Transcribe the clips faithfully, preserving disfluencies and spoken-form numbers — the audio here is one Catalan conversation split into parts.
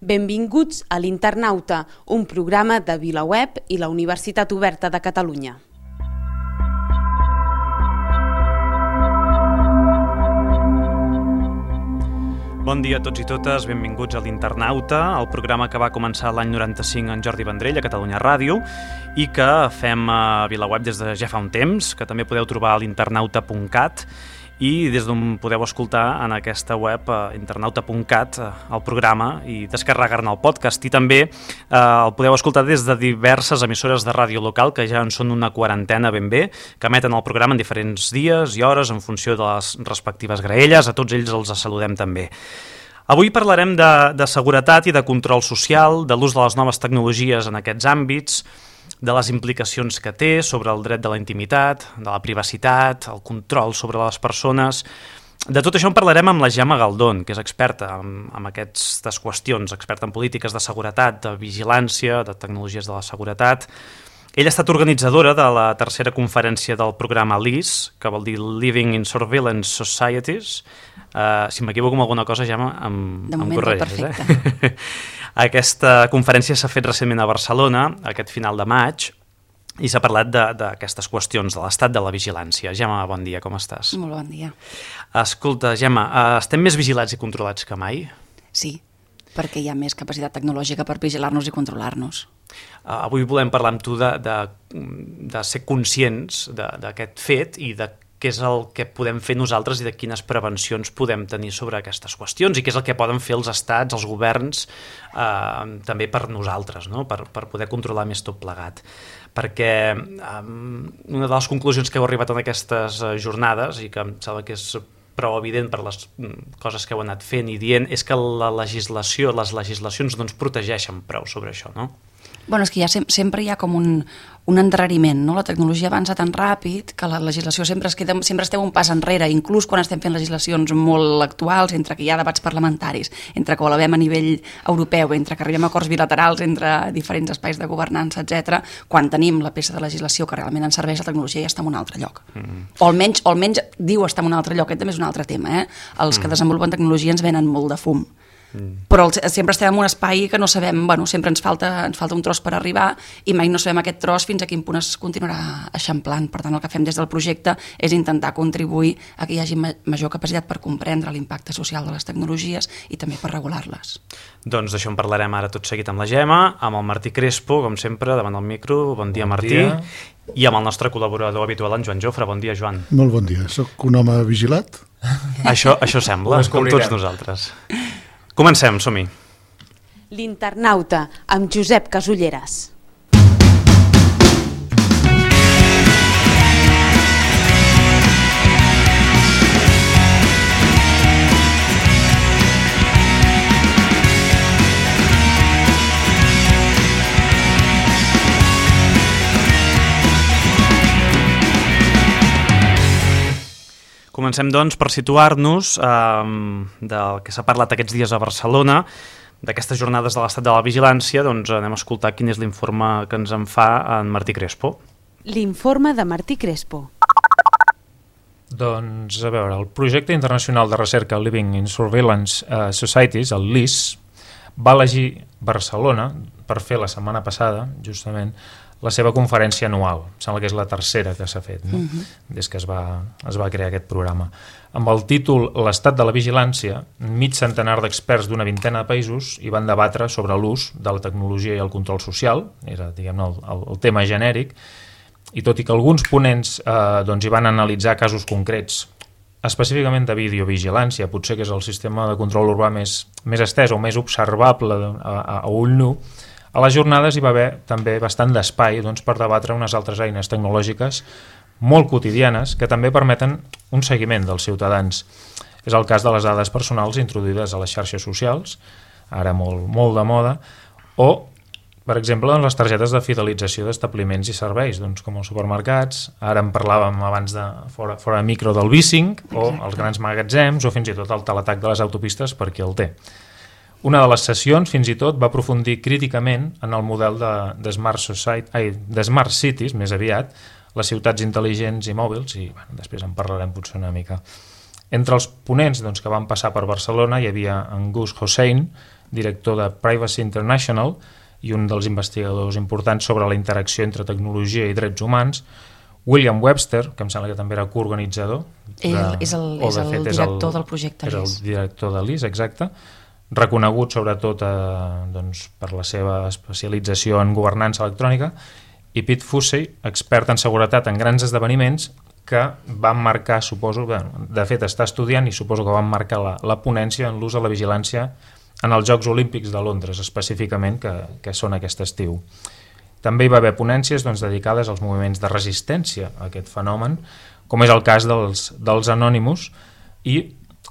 Benvinguts a l'Internauta, un programa de VilaWeb i la Universitat Oberta de Catalunya. Bon dia a tots i totes, benvinguts a l'Internauta, el programa que va començar l'any noranta-cinc en Jordi Vendrell a Catalunya Ràdio i que fem a VilaWeb des de ja fa un temps, que també podeu trobar a l'internauta punt cat i des d'on podeu escoltar en aquesta web eh, internauta punt cat eh, el programa i descarregar-ne el podcast. I també eh, el podeu escoltar des de diverses emissores de ràdio local, que ja en són una quarantena ben bé, que emeten el programa en diferents dies i hores en funció de les respectives graelles. A tots ells els saludem també. Avui parlarem de, de seguretat i de control social, de l'ús de les noves tecnologies en aquests àmbits, de les implicacions que té sobre el dret de la intimitat, de la privacitat, el control sobre les persones. De tot això en parlarem amb la Gemma Galdón, que és experta en, en aquestes qüestions, experta en polítiques de seguretat, de vigilància, de tecnologies de la seguretat. Ella ha estat organitzadora de la tercera conferència del programa L I S, que vol dir Living in Surveillance Societies. Uh, si m'equivoco amb alguna cosa, Gemma, em, de moment, em corregis. perfecte. Eh? Aquesta conferència s'ha fet recentment a Barcelona, aquest final de maig, i s'ha parlat d'aquestes qüestions, de l'estat de la vigilància. Gemma, bon dia, com estàs? Molt bon dia. Escolta, Gemma, uh, estem més vigilats i controlats que mai? Sí, perquè hi ha més capacitat tecnològica per vigilar-nos i controlar-nos. Uh, avui volem parlar amb tu de, de, de ser conscients d'aquest fet i de què és el que podem fer nosaltres i de quines prevencions podem tenir sobre aquestes qüestions i què és el que poden fer els estats, els governs, eh, també per nosaltres, no? per, per poder controlar més tot plegat. Perquè eh, una de les conclusions que heu arribat en aquestes jornades, i que em sembla que és prou evident per les coses que heu anat fent i dient, és que la legislació, les legislacions no ens protegeixen prou sobre això, no? Bueno, és que ja sem sempre hi ha com un, un endarreriment, no? La tecnologia avança tan ràpid que la legislació sempre es queda, sempre estem un pas enrere, inclús quan estem fent legislacions molt actuals, entre que hi ha debats parlamentaris, entre que ho elevem a nivell europeu, entre que arribem a acords bilaterals entre diferents espais de governança, etcètera. Quan tenim la peça de legislació que realment ens serveix, la tecnologia ja està en un altre lloc. Mm. O almenys, o almenys diu estar en un altre lloc, aquest també és un altre tema, eh? Els mm. que desenvolupen tecnologia ens venen molt de fum. Mm. Però el, sempre estem en un espai que no sabem, bueno, sempre ens falta, ens falta un tros per arribar i mai no sabem aquest tros fins a quin punt es continuarà eixamplant. Per tant, el que fem des del projecte és intentar contribuir a que hi hagi ma major capacitat per comprendre l'impacte social de les tecnologies i també per regular-les. Doncs d'això en parlarem ara tot seguit amb la Gemma, amb el Martí Crespo, com sempre, davant del micro. Bon dia, bon Martí. Dia. I amb el nostre col·laborador habitual, en Joan Jofre. Bon dia, Joan. Molt bon dia. Soc un home vigilat? Això, això sembla, com tots nosaltres. Comencem, som-hi. L'Internauta, amb Josep Casulleras. Comencem, doncs, per situar-nos eh, del que s'ha parlat aquests dies a Barcelona, d'aquestes jornades de l'estat de la vigilància. Doncs anem a escoltar quin és l'informe que ens en fa en Martí Crespo. L'informe de Martí Crespo. Doncs, a veure, el projecte internacional de recerca Living in Surveillance uh, Societies, el L I S, va elegir Barcelona per fer la setmana passada, justament, la seva conferència anual. Sembla que és la tercera que s'ha fet, no? Uh-huh. Des que es va, es va crear aquest programa. Amb el títol L'estat de la vigilància, mig centenar d'experts d'una vintena de països hi van debatre sobre l'ús de la tecnologia i el control social, era, diguem-ne, el, el, el tema genèric, i tot i que alguns ponents eh, doncs hi van analitzar casos concrets, específicament de videovigilància, potser que és el sistema de control urbà més, més estès o més observable a, a, a ull nu, a les jornades hi va haver també bastant d'espai doncs, per debatre unes altres eines tecnològiques molt quotidianes que també permeten un seguiment dels ciutadans. És el cas de les dades personals introduïdes a les xarxes socials, ara molt, molt de moda, o, per exemple, les targetes de fidelització d'establiments i serveis, doncs, com els supermercats, ara en parlàvem abans de fora, fora de micro del Bicing, o els grans magatzems, o fins i tot el teletac de les autopistes per qui el té. Una de les sessions, fins i tot, va aprofundir críticament en el model de, de, Smart, Society, ai, de Smart Cities, més aviat, les ciutats intel·ligents i mòbils, i bueno, després en parlarem potser una mica. Entre els ponents doncs, que van passar per Barcelona hi havia en Gus Hossein, director de Privacy International i un dels investigadors importants sobre la interacció entre tecnologia i drets humans, William Webster, que em sembla que també era coorganitzador. Ell de, és el, és el fet, director és el, del projecte L I S. És el director de l'I S, exacte. Reconegut sobretot eh, doncs, per la seva especialització en governança electrònica, i Pete Fossey, expert en seguretat en grans esdeveniments, que van marcar, suposo, bueno, de fet està estudiant i suposo que van marcar la, la ponència en l'ús de la vigilància en els Jocs Olímpics de Londres, específicament, que, que són aquest estiu. També hi va haver ponències doncs, dedicades als moviments de resistència a aquest fenomen, com és el cas dels, dels Anonymous, i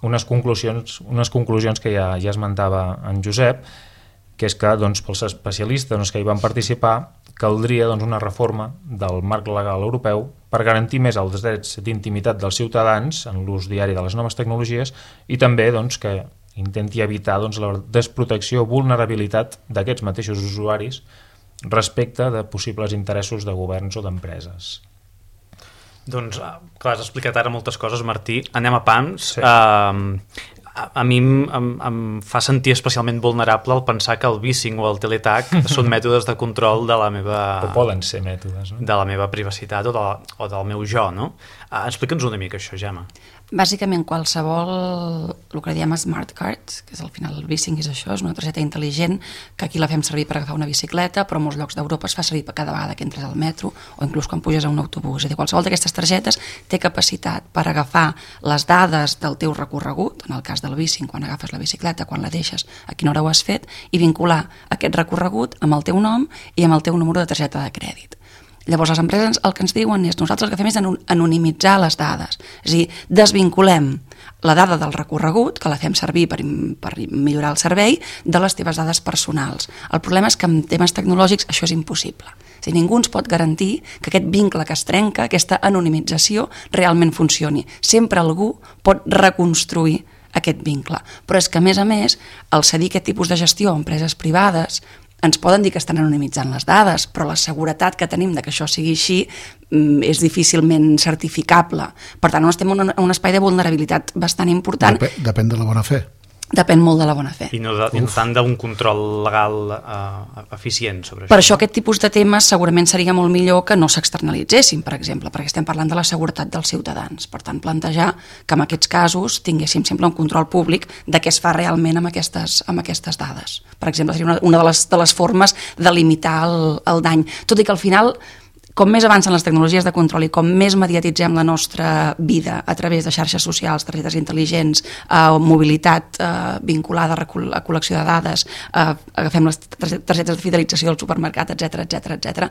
unes conclusions, unes conclusions que ja, ja esmentava en Josep, que és que doncs, pels especialistes doncs, que hi van participar caldria doncs, una reforma del marc legal europeu per garantir més els drets d'intimitat dels ciutadans en l'ús diari de les noves tecnologies i també doncs, que intenti evitar doncs, la desprotecció o vulnerabilitat d'aquests mateixos usuaris respecte de possibles interessos de governs o d'empreses. Doncs, clar, has explicat ara moltes coses, Martí. Anem a pams. Sí. Uh, a, a mi em, em, em fa sentir especialment vulnerable el pensar que el vissing o el teletac són mètodes de control de la meva... O poden ser mètodes, no? De la meva privacitat o, de la, o del meu jo, no? Uh, Explica'ns una mica això, Gemma. Bàsicament, qualsevol, el que diem smart card, que és al final el vissing és això, és una targeta intel·ligent que aquí la fem servir per agafar una bicicleta, però en molts llocs d'Europa es fa servir per cada vegada que entres al metro o inclús quan puges a un autobús. És a dir, qualsevol d'aquestes targetes té capacitat per agafar les dades del teu recorregut, en el cas del vissing, quan agafes la bicicleta, quan la deixes, a quina hora ho has fet, i vincular aquest recorregut amb el teu nom i amb el teu número de targeta de crèdit. Llavors, les empreses el que ens diuen és nosaltres el que fem és anonimitzar les dades, és a dir, desvinculem la dada del recorregut, que la fem servir per, per millorar el servei, de les teves dades personals. El problema és que en temes tecnològics això és impossible. És a dir, ningú ens pot garantir que aquest vincle que es trenca, aquesta anonimització, realment funcioni. Sempre algú pot reconstruir aquest vincle. Però és que, a més a més, al cedir aquest tipus de gestió a empreses privades, ens poden dir que estan anonimitzant les dades, però la seguretat que tenim de que això sigui així és difícilment certificable. Per tant, estem en un espai de vulnerabilitat bastant important. Depèn, depèn de la bona fe. Depèn molt de la bona fe. I no, de, no tant d'un control legal uh, eficient sobre això. Per això aquest tipus de temes segurament seria molt millor que no s'externalitzessin, per exemple, perquè estem parlant de la seguretat dels ciutadans. Per tant, plantejar que en aquests casos tinguéssim sempre un control públic de què es fa realment amb aquestes, amb aquestes dades. Per exemple, seria una, una de, les, de les formes de limitar el, el dany. Tot i que al final, com més avancen les tecnologies de control i com més mediatitzem la nostra vida a través de xarxes socials, targetes intel·ligents, eh, mobilitat eh, vinculada a, recol a col·lecció de dades, eh, agafem les targetes de fidelització del supermercat, etcètera, etcètera, etcètera,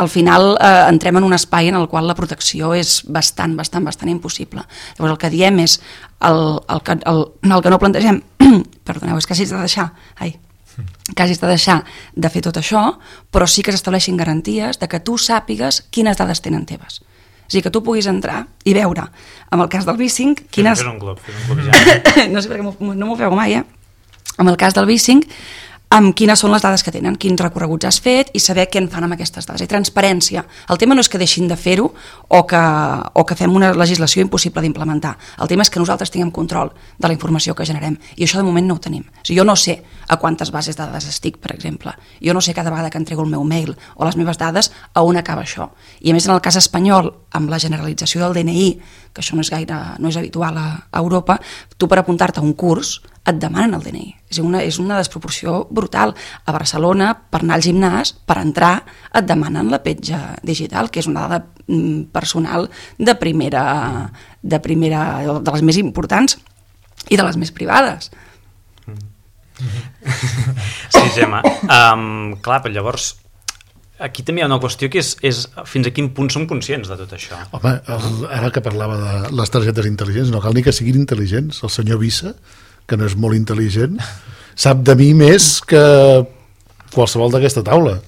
al final eh, entrem en un espai en el qual la protecció és bastant, bastant, bastant impossible. Llavors el que diem és el, el, que, el, el que no plantegem, perdoneu, és que hagis de deixar, ai, que hagis de deixar de fer tot això, però sí que s'estableixin garanties de que tu sàpigues quines dades tenen teves. És a dir, que tu puguis entrar i veure, en el cas del vissing, quines... Fes un glob, fes un glob ja. No sé per què no m'ho feu mai, eh? En el cas del vissing, amb quines són les dades que tenen, quins recorreguts has fet i saber què en fan amb aquestes dades. I transparència. El tema no és que deixin de fer-ho o, que, o que fem una legislació impossible d'implementar. El tema és que nosaltres tinguem control de la informació que generem. I això de moment no ho tenim. O sigui, jo no sé a quantes bases de dades estic, per exemple. Jo no sé cada vegada que entrego el meu mail o les meves dades a on acaba això. I a més, en el cas espanyol, amb la generalització del D N I, que això no és gaire, no és habitual a, a Europa, tu per apuntar-te a un curs et demanen el D N I. És una, és una desproporció brutal. A Barcelona, per anar al gimnàs, per entrar, et demanen la petja digital, que és una dada personal de primera, de primera, de les més importants i de les més privades. Sí, Gemma. Um, clar, però llavors aquí també hi ha una qüestió que és, és fins a quin punt som conscients de tot això. Home, el, ara que parlava de les targetes intel·ligents, no cal ni que siguin intel·ligents. El senyor Vissa, que no és molt intel·ligent, sap de mi més que qualsevol d'aquesta taula.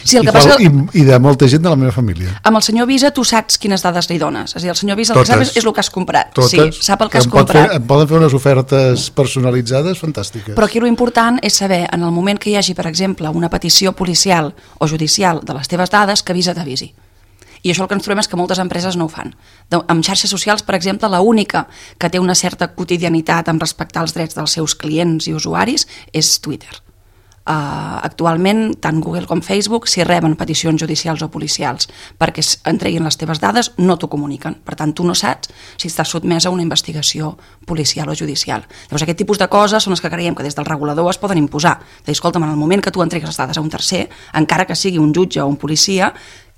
Sí, el I, que passa... i, I de molta gent de la meva família. Amb el senyor Visa tu saps quines dades li dones. És a dir, el senyor Visa el Totes. que sap és, és el que has comprat. Totes. Sí, sap el que, que has pot comprat. Fer, em poden fer unes ofertes personalitzades fantàstiques. Però aquí l'important és saber, en el moment que hi hagi, per exemple, una petició policial o judicial de les teves dades, que Visa t'avisi. I això el que ens trobem és que moltes empreses no ho fan. De, amb xarxes socials, per exemple, l'única que té una certa quotidianitat en respectar els drets dels seus clients i usuaris és Twitter. Uh, actualment, tant Google com Facebook, si reben peticions judicials o policials perquè entreguin les teves dades, no t'ho comuniquen. Per tant, tu no saps si estàs sotmès a una investigació policial o judicial. Llavors, aquest tipus de coses són les que creiem que des del regulador es poden imposar. De dir, escolta'm, en el moment que tu entregues les dades a un tercer, encara que sigui un jutge o un policia,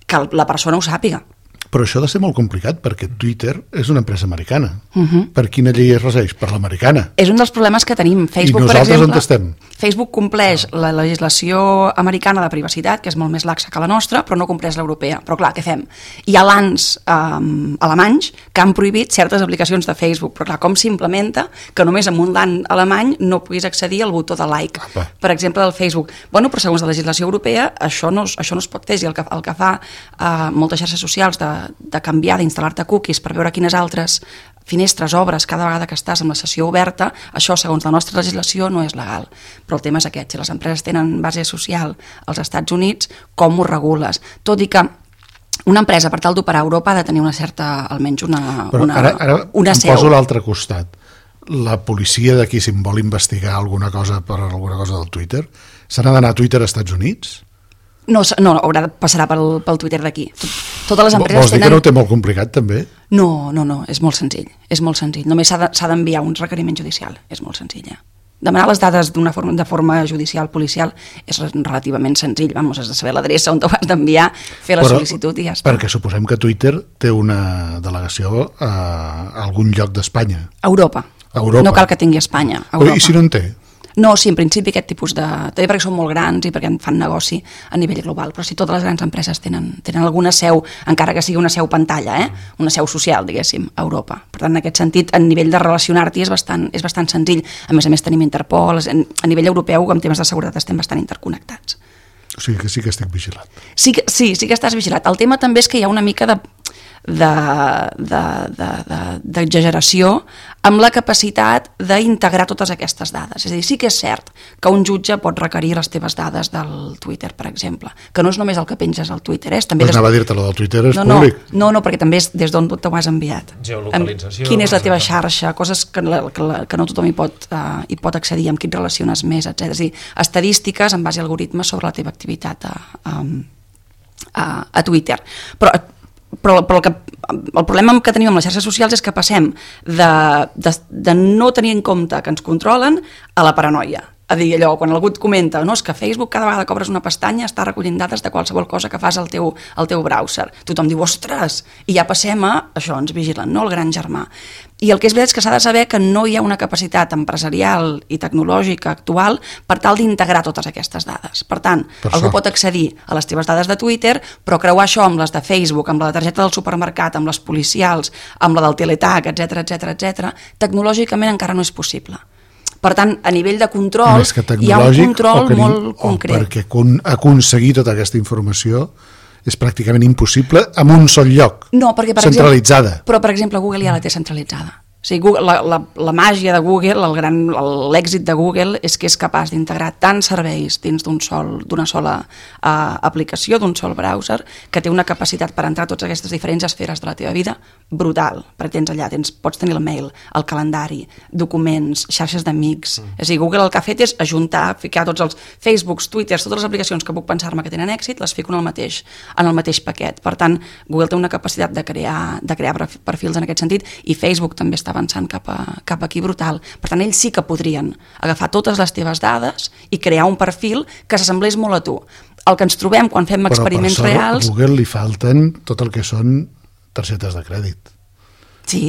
que la persona ho sàpiga. Però això ha de ser molt complicat, perquè Twitter és una empresa americana. Uh-huh. Per quina llei es regeix? Per l'americana. És un dels problemes que tenim. Facebook, I nosaltres per exemple, on estem? Facebook compleix la legislació americana de privacitat, que és molt més laxa que la nostra, però no compleix l'europea. Però clar, què fem? Hi ha lands um, alemanys que han prohibit certes aplicacions de Facebook, però clar, com s'implementa que només amb un land alemany no puguis accedir al botó de like, Apa. per exemple, del Facebook. Bueno, però segons la legislació europea, això no, això no es pot fer, i el que, el que fa uh, moltes xarxes socials de de canviar, d'instal·lar-te cookies per veure quines altres finestres obres cada vegada que estàs amb la sessió oberta, això, segons la nostra legislació, no és legal. Però el tema és aquest, si les empreses tenen base social als Estats Units, com ho regules? Tot i que una empresa, per tal d'operar a Europa, ha de tenir una certa, almenys una, Però una, ara, ara una em seu. poso a l'altre costat. La policia d'aquí, si em vol investigar alguna cosa per alguna cosa del Twitter, se n'ha d'anar a Twitter als Estats Units? No, no, haurà de passarà pel, pel Twitter d'aquí. Totes les empreses Vols dir tenen... que no ho té molt complicat, també? No, no, no, és molt senzill. És molt senzill. Només s'ha de, s'ha d'enviar un requeriment judicial. És molt senzill, ja. Demanar les dades d'una forma, de forma judicial, policial, és relativament senzill. Vamos, has de saber l'adreça on t'ho has d'enviar, fer la Però, sol·licitud i ja està. Perquè suposem que Twitter té una delegació a algun lloc d'Espanya. Europa. Europa. No cal que tingui Espanya. Europa. I si no en té? No, sí, en principi aquest tipus de... També perquè són molt grans i perquè fan negoci a nivell global, però sí, totes les grans empreses tenen, tenen alguna seu, encara que sigui una seu pantalla, eh? Una seu social, diguéssim, a Europa. Per tant, en aquest sentit, a nivell de relacionar-t'hi és bastant, és bastant senzill. A més a més, tenim Interpol, a nivell europeu, amb temes de seguretat estem bastant interconnectats. O sigui que sí que estic vigilat. Sí, que, sí, sí que estàs vigilat. El tema també és que hi ha una mica de... d'exageració amb la capacitat d'integrar totes aquestes dades. És a dir, sí que és cert que un jutge pot requerir les teves dades del Twitter, per exemple, que no és només el que penges al Twitter. Eh? També pues des... anava a dir-te, lo del Twitter és no, públic. No, no, perquè també és des d'on t'ho has enviat. Geolocalització. Quina és la teva xarxa, coses que, la, que, la, que no tothom hi pot, uh, hi pot accedir, amb qui et relaciones més, etcètera. És a dir, estadístiques en base a algoritmes sobre la teva activitat a, a, a, a Twitter. Però Però, però el, que, el problema que tenim amb les xarxes socials és que passem de, de, de no tenir en compte que ens controlen a la paranoia. A dir, allò, quan algú et comenta, no, és que Facebook cada vegada que obres una pestanya està recollint dades de qualsevol cosa que fas al teu, al teu browser. Tothom diu, ostres, i ja passem a això, ens vigilen, no?, el gran germà. I el que és veritat és que s'ha de saber que no hi ha una capacitat empresarial i tecnològica actual per tal d'integrar totes aquestes dades. Per tant, per algú sort. pot accedir a les teves dades de Twitter, però creuar això amb les de Facebook, amb la de targeta del supermercat, amb les policials, amb la del Teletag, etcètera, etcètera, etcètera, tecnològicament encara no és possible. Per tant, a nivell de control, hi ha un control molt concret. O perquè aconseguir tota aquesta informació és pràcticament impossible en un sol lloc, no, perquè, per centralitzada. Exemple, però, per exemple, Google ja la té centralitzada. O sigui, Google, la, la, la màgia de Google, el gran, l'èxit de Google és que és capaç d'integrar tants serveis dins d'un sol, d'una sola uh, aplicació, d'un sol browser, que té una capacitat per entrar a totes aquestes diferents esferes de la teva vida brutal. Perquè tens allà, tens, pots tenir el mail, el calendari, documents, xarxes d'amics. Mm. És a dir, Google el que ha fet és ajuntar, ficar tots els Facebooks, Twitters, totes les aplicacions que puc pensar-me que tenen èxit, les fico en el mateix, en el mateix paquet. Per tant, Google té una capacitat de crear, de crear perfils en aquest sentit, i Facebook també està avançant cap, a, cap aquí brutal. Per tant, ells sí que podrien agafar totes les teves dades i crear un perfil que s'assemblés molt a tu. El que ens trobem quan fem experiments reals... Però per reals... a Google li falten tot el que són targetes de crèdit. Sí.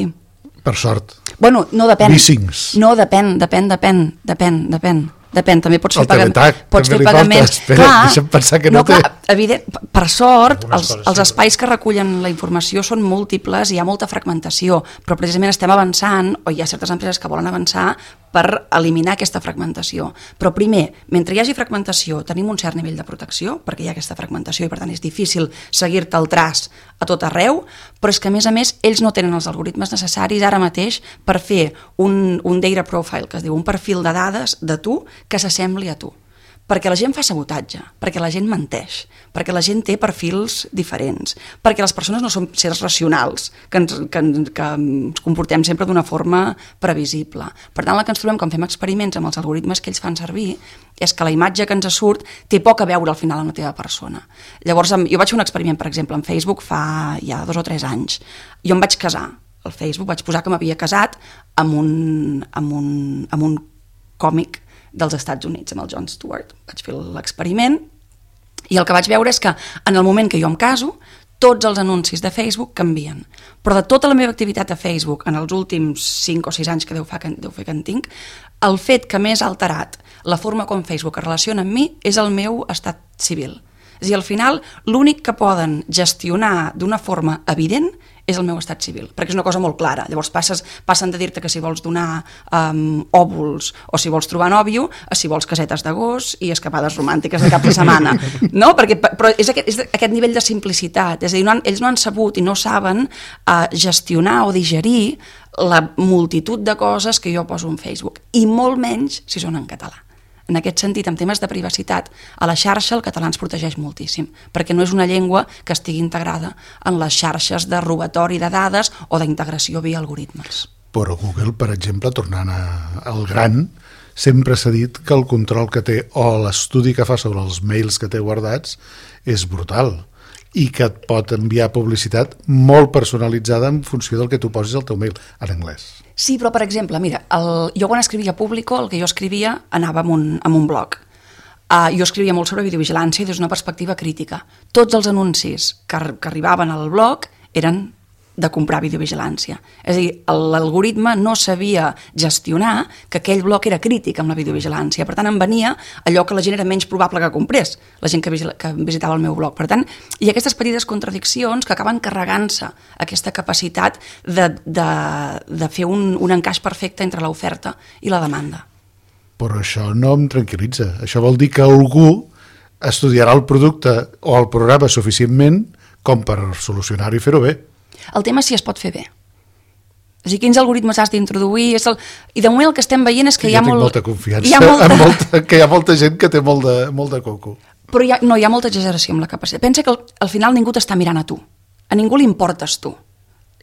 Per sort. Bueno, no depèn. Leasings. No, depèn, depèn, depèn, depèn, depèn. Depèn, també pots fer, pagam... pots fer pagaments. Espera, clar, deixa'm pensar que no, no té. Clar, evident, per sort, els, els espais que recullen la informació són múltiples i hi ha molta fragmentació, però precisament estem avançant, o hi ha certes empreses que volen avançar per eliminar aquesta fragmentació. Però primer, mentre hi hagi fragmentació, tenim un cert nivell de protecció, perquè hi ha aquesta fragmentació i per tant és difícil seguir-te el traç a tot arreu, però és que a més a més ells no tenen els algoritmes necessaris ara mateix per fer un, un data profile, que es diu un perfil de dades de tu que s'assembli a tu. perquè la gent fa sabotatge, perquè la gent menteix, perquè la gent té perfils diferents, perquè les persones no són sers racionals, que ens, que, que ens comportem sempre d'una forma previsible. Per tant, el que ens trobem quan fem experiments amb els algoritmes que ells fan servir és que la imatge que ens surt té poc a veure al final amb la teva persona. Llavors, jo vaig fer un experiment, per exemple, en Facebook fa ja dos o tres anys. Jo em vaig casar al Facebook, vaig posar que m'havia casat amb un, amb un, amb un còmic dels Estats Units, amb el Jon Stewart. Vaig fer l'experiment i el que vaig veure és que en el moment que jo em caso, tots els anuncis de Facebook canvien. Però de tota la meva activitat a Facebook en els últims cinc o sis anys que deu fer que, deu fer que en tinc, el fet que més ha alterat la forma com Facebook es relaciona amb mi és el meu estat civil. És a dir, al final, l'únic que poden gestionar d'una forma evident és el meu estat civil, perquè és una cosa molt clara. Llavors passes, passen de dir-te que si vols donar um, òvuls o si vols trobar nòvio, a si vols casetes de gos i escapades romàntiques de cap de setmana. No? Perquè, però és aquest, és aquest nivell de simplicitat. És a dir, no han, ells no han sabut i no saben uh, gestionar o digerir la multitud de coses que jo poso en Facebook, i molt menys si són en català. En aquest sentit, en temes de privacitat, a la xarxa el català ens protegeix moltíssim, perquè no és una llengua que estigui integrada en les xarxes de robatori de dades o d'integració via algoritmes. Però Google, per exemple, tornant a, al gran, sempre s'ha dit que el control que té o l'estudi que fa sobre els mails que té guardats és brutal i que et pot enviar publicitat molt personalitzada en funció del que tu posis al teu mail, en anglès. Sí, però per exemple, mira, el, jo quan escrivia Público, el que jo escrivia anava amb un, amb un blog. Uh, jo escrivia molt sobre videovigilància des d'una perspectiva crítica. Tots els anuncis que, que arribaven al blog eren de comprar videovigilància. És a dir, l'algoritme no sabia gestionar que aquell bloc era crític amb la videovigilància. Per tant, em venia allò que la gent era menys probable que comprés, la gent que, que visitava el meu blog. Per tant, hi ha aquestes petites contradiccions que acaben carregant-se aquesta capacitat de, de, de fer un, un encaix perfecte entre l'oferta i la demanda. Però això no em tranquil·litza. Això vol dir que algú estudiarà el producte o el programa suficientment com per solucionar-ho i fer-ho bé. El tema és si es pot fer bé. És a dir, quins algoritmes has d'introduir... El... I de moment el que estem veient és que sí, hi ha molt... molt... molta confiança, hi ha molta... En molta... que hi ha molta gent que té molt de, molt de coco. Però hi ha... no, hi ha molta exageració amb la capacitat. Pensa que al, al final ningú t'està mirant a tu. A ningú li importes tu.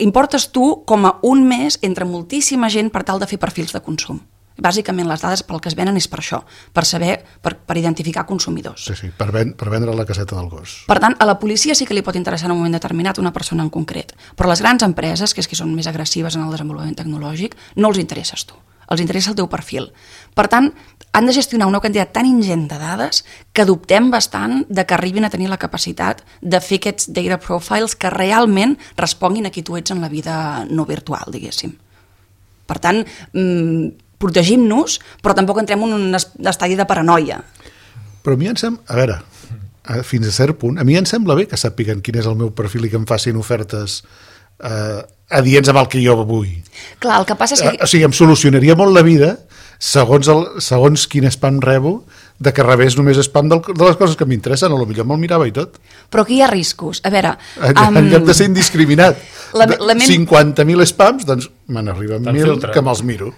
Importes tu com a un més entre moltíssima gent per tal de fer perfils de consum. Bàsicament les dades pel que es venen és per això, per saber, per, per identificar consumidors. Sí, sí, per, ven, per vendre la caseta del gos. Per tant, a la policia sí que li pot interessar en un moment determinat una persona en concret, però les grans empreses, que és que són més agressives en el desenvolupament tecnològic, no els interesses tu, els interessa el teu perfil. Per tant, han de gestionar una quantitat tan ingent de dades que dubtem bastant de que arribin a tenir la capacitat de fer aquests data profiles que realment responguin a qui tu ets en la vida no virtual, diguéssim. Per tant, mmm, protegim-nos, però tampoc entrem en un estadi de paranoia. Però a mi em sembla, a veure, fins a cert punt, a mi em sembla bé que sàpiguen quin és el meu perfil i que em facin ofertes eh, adients amb el que jo vull. Clar, el que passa és que... Eh, o sigui, em solucionaria molt la vida segons, el, segons quin spam rebo, de que rebés només spam del, de les coses que m'interessen, o potser me'l mirava i tot. Però aquí hi ha riscos. A veure... En, um... en lloc de ser indiscriminat, la, la ment... cinquanta mil spams, doncs me n'arriben mil que me'ls miro.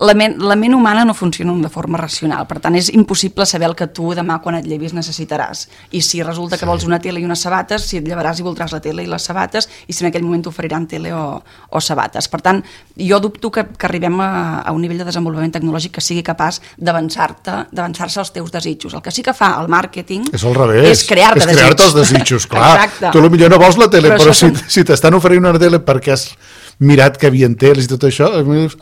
La ment, la ment humana no funciona de forma racional, per tant és impossible saber el que tu demà quan et llevis necessitaràs, i si resulta que sí. Vols una tele i unes sabates, si et llevaràs i voldràs la tele i les sabates, i si en aquell moment t'oferiran tele o, o sabates. Per tant, jo dubto que, que arribem a, a un nivell de desenvolupament tecnològic que sigui capaç d'avançar-te d'avançar-se als teus desitjos. El que sí que fa el màrqueting és al revés, és crear-te és crear-te els desitjos, clar. Exacte. Tu potser no vols la tele, però, però si, són... si t'estan oferint una tele perquè has mirat que havien teles i tot això,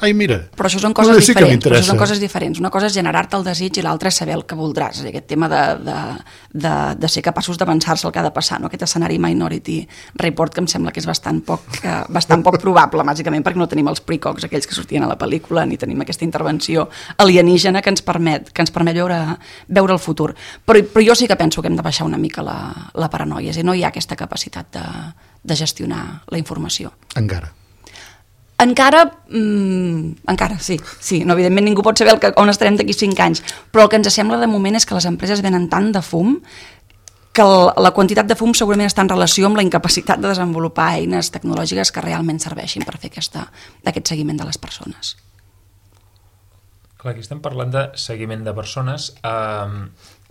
ai, mira. Però això són coses sí diferents. Però això són coses diferents. Una cosa és generar-te el desig i l'altra és saber el que voldràs. Aquest tema de, de, de, de ser capaços d'avançar-se el que ha de passar. No? Aquest escenari Minority Report que em sembla que és bastant poc, eh, bastant poc probable, bàsicament perquè no tenim els precogs, aquells que sortien a la pel·lícula, ni tenim aquesta intervenció alienígena que ens permet, que ens permet veure, veure el futur. Però, però jo sí que penso que hem de baixar una mica la, la paranoia. És a dir, no hi ha aquesta capacitat de, de gestionar la informació. Encara. Encara, mmm, encara, sí, sí, no, evidentment ningú pot saber el que, on estarem d'aquí cinc anys, però el que ens sembla de moment és que les empreses venen tant de fum que el, la quantitat de fum segurament està en relació amb la incapacitat de desenvolupar eines tecnològiques que realment serveixin per fer aquesta, aquest seguiment de les persones. Clar, aquí estem parlant de seguiment de persones eh,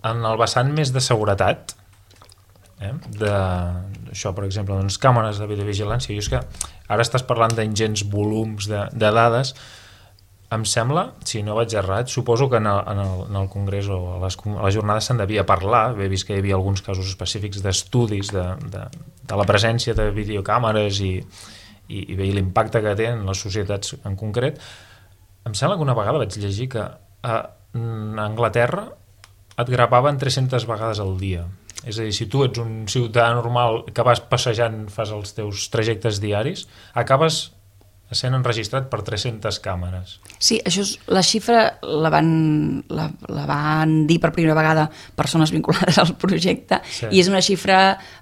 en el vessant més de seguretat, eh? de, això, per exemple, doncs, càmeres de videovigilància. I és que ara estàs parlant d'ingents volums de, de dades. Em sembla, si no vaig errat, suposo que en el, en el, en el Congrés o a les, a les jornades se'n devia parlar. He vist que hi havia alguns casos específics d'estudis de, de, de la presència de videocàmeres i, i, i bé, l'impacte que té en les societats en concret. Em sembla que una vegada vaig llegir que a Anglaterra et gravaven tres-centes vegades al dia. És a dir, si tu ets un ciutadà normal que vas passejant, fas els teus trajectes diaris, acabes sent enregistrat per tres-centes càmeres. Sí, això és, la xifra la van, la, la van dir per primera vegada persones vinculades al projecte, sí. I és una xifra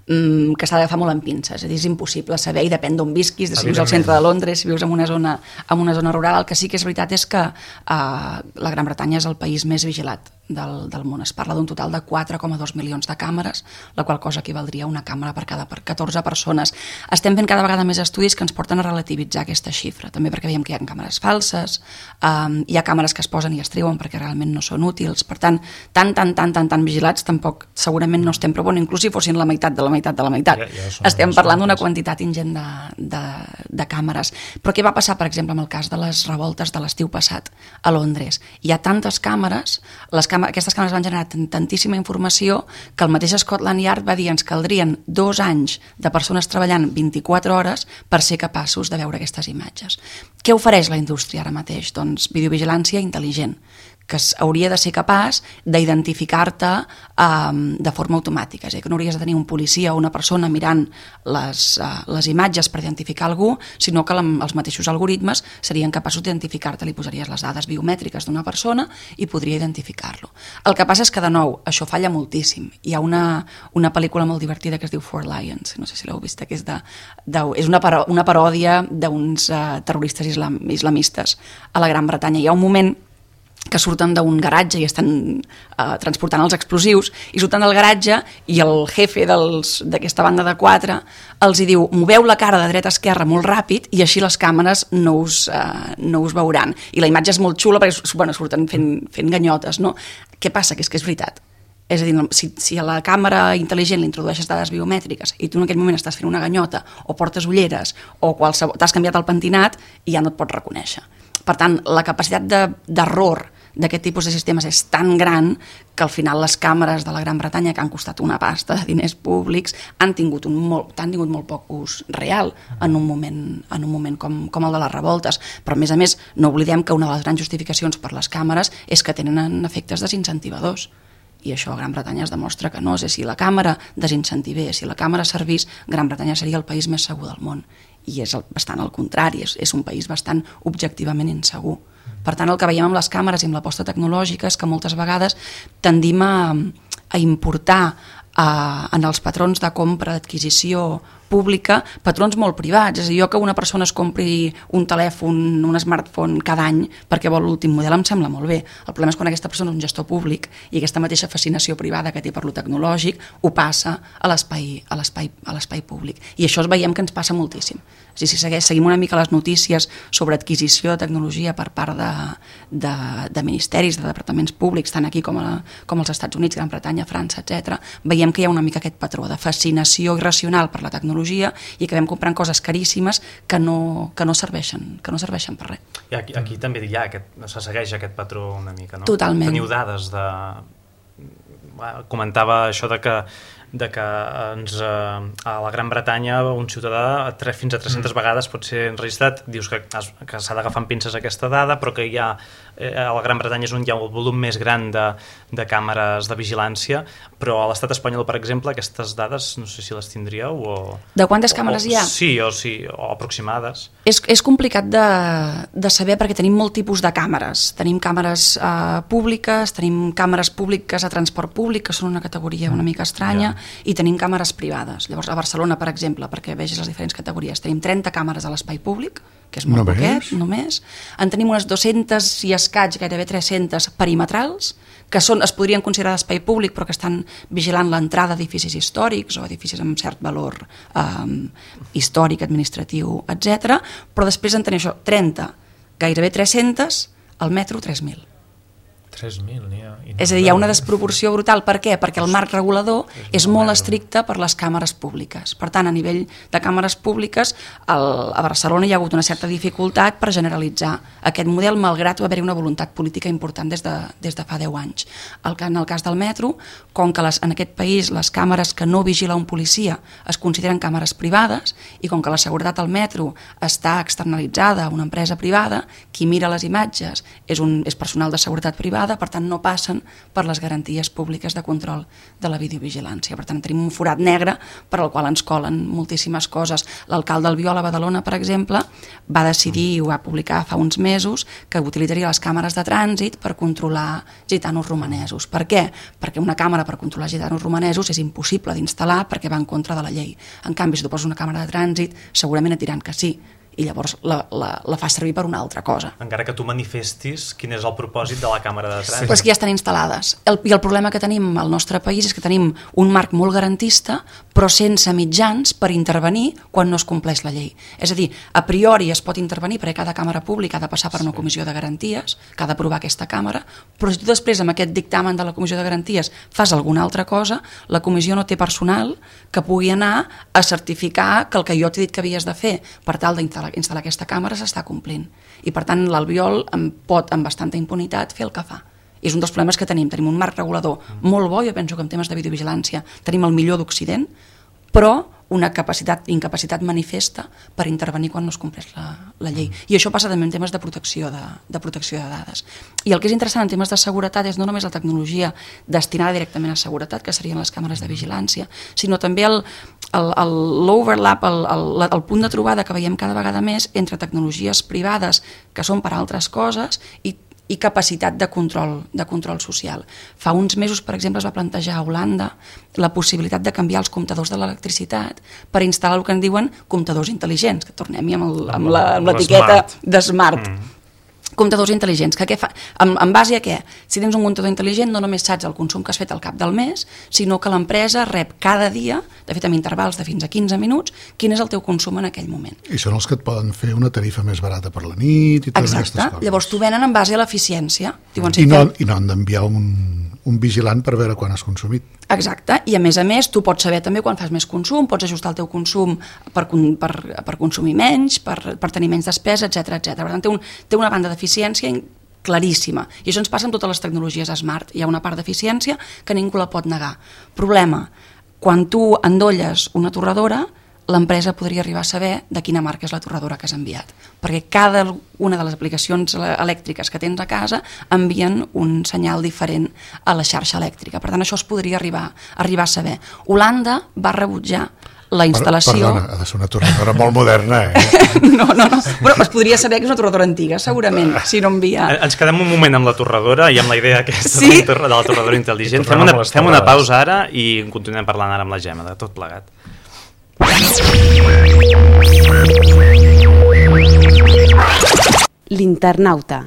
mm, que s'ha d'agafar molt en pinces, és a dir, és impossible saber i depèn d'on visquis, de si vius al centre de Londres, si vius en una zona, en una zona rural. El que sí que és veritat és que eh, la Gran Bretanya és el país més vigilat del, del món. Es parla d'un total de quatre coma dos milions de càmeres, la qual cosa equivaldria a una càmera per cada per catorze persones. Estem fent cada vegada més estudis que ens porten a relativitzar aquesta xifra, també perquè veiem que hi ha càmeres falses, um, hi ha càmeres que es posen i es treuen perquè realment no són útils, per tant, tan, tan, tan, tan, tan vigilats tampoc segurament no estem, però bueno, inclús si fossin la meitat de la meitat de la meitat. Ja, ja estem parlant d'una quantitat ingent de, de, de càmeres. Però què va passar, per exemple, amb el cas de les revoltes de l'estiu passat a Londres? Hi ha tantes càmeres, les càmeres aquestes càmeres van generar tantíssima informació que el mateix Scotland Yard va dir ens caldrien dos anys de persones treballant vint-i-quatre hores per ser capaços de veure aquestes imatges. Què ofereix la indústria ara mateix? Doncs videovigilància intel·ligent, que hauria de ser capaç d'identificar-te um, de forma automàtica. És a dir, que no hauries de tenir un policia o una persona mirant les, uh, les imatges per identificar algú, sinó que la, els mateixos algoritmes serien capaços d'identificar-te. Li posaries les dades biomètriques d'una persona i podria identificar-lo. El que passa és que, de nou, això falla moltíssim. Hi ha una, una pel·lícula molt divertida que es diu Four Lions, no sé si l'heu vist, que és, de, de, és una, paro, una paròdia d'uns uh, terroristes islam, islamistes a la Gran Bretanya. Hi ha un moment que surten d'un garatge i estan eh, transportant els explosius, i surten del garatge i el jefe d'aquesta banda de quatre els hi diu, moveu la cara de dreta a esquerra molt ràpid i així les càmeres no us, eh, no us veuran. I la imatge és molt xula perquè bueno, surten fent, fent ganyotes, no? Què passa? Que és que és veritat. És a dir, si, si a la càmera intel·ligent li introdueixes dades biomètriques i tu en aquell moment estàs fent una ganyota o portes ulleres o t'has canviat el pentinat i ja no et pots reconèixer. Per tant, la capacitat d'error d'aquest tipus de sistemes és tan gran que al final les càmeres de la Gran Bretanya, que han costat una pasta de diners públics, han tingut, un molt, han tingut molt poc ús real en un moment, en un moment com, com el de les revoltes. Però, a més a més, no oblidem que una de les grans justificacions per les càmeres és que tenen efectes desincentivadors. I això a Gran Bretanya es demostra que no. És a dir, si la càmera desincentivés, si la càmera servís, Gran Bretanya seria el país més segur del món. I és bastant al contrari, és, és un país bastant objectivament insegur. Per tant, el que veiem amb les càmeres i amb l'aposta tecnològica és que moltes vegades tendim a, a importar a, en els patrons de compra, d'adquisició pública, patrons molt privats. És a dir, jo que una persona es compri un telèfon, un smartphone cada any perquè vol l'últim model em sembla molt bé. El problema és quan aquesta persona és un gestor públic i aquesta mateixa fascinació privada que té per lo tecnològic ho passa a l'espai a l'espai a l'espai públic. I això es veiem que ens passa moltíssim. És a dir, si segueix, seguim una mica les notícies sobre adquisició de tecnologia per part de, de, de ministeris, de departaments públics, tant aquí com, a, com als Estats Units, Gran Bretanya, França, etcètera, veiem que hi ha una mica aquest patró de fascinació irracional per la tecnologia i acabem comprant coses caríssimes que no, que no, serveixen, que no serveixen per res. I aquí, aquí també hi ha aquest, se segueix aquest patró una mica, no? Totalment. Teniu dades de... Comentava això de que de que ens, eh, a la Gran Bretanya un ciutadà tre, fins a tres-centes mm. vegades pot ser enregistrat. Dius que, que s'ha d'agafar amb pinces aquesta dada, però que hi ha, eh, a la Gran Bretanya és on hi ha el volum més gran de, de càmeres de vigilància, però a l'estat espanyol, per exemple, aquestes dades no sé si les tindríeu o... De quantes càmeres o, hi ha? Sí, o, sí, o aproximades. És, és complicat de, de saber perquè tenim molt tipus de càmeres. Tenim càmeres eh, públiques, tenim càmeres públiques a transport públic, que són una categoria una mica estranya, yeah. I tenim càmeres privades. Llavors, a Barcelona, per exemple, perquè vegis les diferents categories, tenim trenta càmeres a l'espai públic, que és molt no poquet, només. En tenim unes dues-centes i escaig, gairebé tres-centes perimetrals, que són, es podrien considerar d'espai públic, però que estan vigilant l'entrada d'edificis històrics o edificis amb cert valor um, històric, administratiu, etcètera. Però després en tenim això, trenta, gairebé tres-centes, al metro tres mil. tres mil n'hi ha. És a dir, hi ha una desproporció brutal. Per què? Perquè el marc regulador és molt estricte per les càmeres públiques. Per tant, a nivell de càmeres públiques, el, a Barcelona hi ha hagut una certa dificultat per generalitzar aquest model, malgrat va haver-hi una voluntat política important des de, des de fa deu anys. El, en el cas del metro, com que les, en aquest país les càmeres que no vigila un policia es consideren càmeres privades i com que la seguretat al metro està externalitzada a una empresa privada, qui mira les imatges és, un, és personal de seguretat privada, per tant no passen per les garanties públiques de control de la videovigilància. Per tant tenim un forat negre per al qual ens colen moltíssimes coses. L'alcalde Albiol a Badalona, per exemple, va decidir i ho va publicar fa uns mesos que utilitzaria les càmeres de trànsit per controlar gitanos romanesos. Per què? Perquè una càmera per controlar gitanos romanesos és impossible d'instal·lar perquè va en contra de la llei. En canvi, si tu poses una càmera de trànsit, segurament et diran que sí, i llavors la, la, la fa servir per una altra cosa. Encara que tu manifestis quin és el propòsit de la càmera de trànsit. Sí. Però és que ja estan instal·lades. El, I el problema que tenim al nostre país és que tenim un marc molt garantista, però sense mitjans per intervenir quan no es compleix la llei. És a dir, a priori es pot intervenir perquè cada càmera pública ha de passar per una comissió de garanties, que ha d'aprovar aquesta càmera, però si tu després amb aquest dictamen de la comissió de garanties fas alguna altra cosa, la comissió no té personal que pugui anar a certificar que el que jo t'he dit que havies de fer per tal d'instal·lar instal·lar aquesta càmera s'està complint. I per tant l'Albiol pot amb bastanta impunitat fer el que fa. I és un dels problemes que tenim. Tenim un marc regulador molt bo, jo penso que en temes de videovigilància tenim el millor d'Occident, però una capacitat, incapacitat manifesta per intervenir quan no es compleix la, la llei. I això passa també en temes de protecció de, de protecció de dades. I el que és interessant en temes de seguretat és no només la tecnologia destinada directament a seguretat, que serien les càmeres de vigilància, sinó també el, el, el, l'overlap, el, el, el punt de trobada que veiem cada vegada més entre tecnologies privades que són per a altres coses i i capacitat de control, de control social. Fa uns mesos, per exemple, es va plantejar a Holanda la possibilitat de canviar els comptadors de l'electricitat per instal·lar el que en diuen comptadors intel·ligents, que tornem-hi amb, el, amb, la, amb l'etiqueta de smart. Mm. Comptadors intel·ligents, que què fa? En, en base a què? Si tens un comptador intel·ligent no només saps el consum que has fet al cap del mes, sinó que l'empresa rep cada dia, de fet amb intervals de fins a quinze minuts, quin és el teu consum en aquell moment. I són els que et poden fer una tarifa més barata per la nit i totes aquestes coses. Llavors t'ho venen en base a l'eficiència. Diuen, I, no, I no han d'enviar un, un vigilant per veure quan has consumit. Exacte, i a més a més tu pots saber també quan fas més consum, pots ajustar el teu consum per, per, per consumir menys, per, per tenir menys despesa, etcètera etcètera. Per tant, té, un, té una banda d'eficiència claríssima. I això ens passa amb totes les tecnologies smart. Hi ha una part d'eficiència que ningú la pot negar. Problema, quan tu endolles una torradora, l'empresa podria arribar a saber de quina marca és la torradora que has enviat. Perquè cada una de les aplicacions elèctriques que tens a casa envien un senyal diferent a la xarxa elèctrica. Per tant, això es podria arribar, arribar a saber. Holanda va rebutjar la instal·lació... Perdona, ha de ser una torradora molt moderna, eh? No, no, no, però es podria saber que és una torradora antiga, segurament, si no envia... Ens quedem un moment amb la torradora i amb la idea aquesta sí? de la torradora intel·ligent. Fem una, fem una pausa ara i continuem parlant ara amb la Gemma, de tot plegat. L'internauta.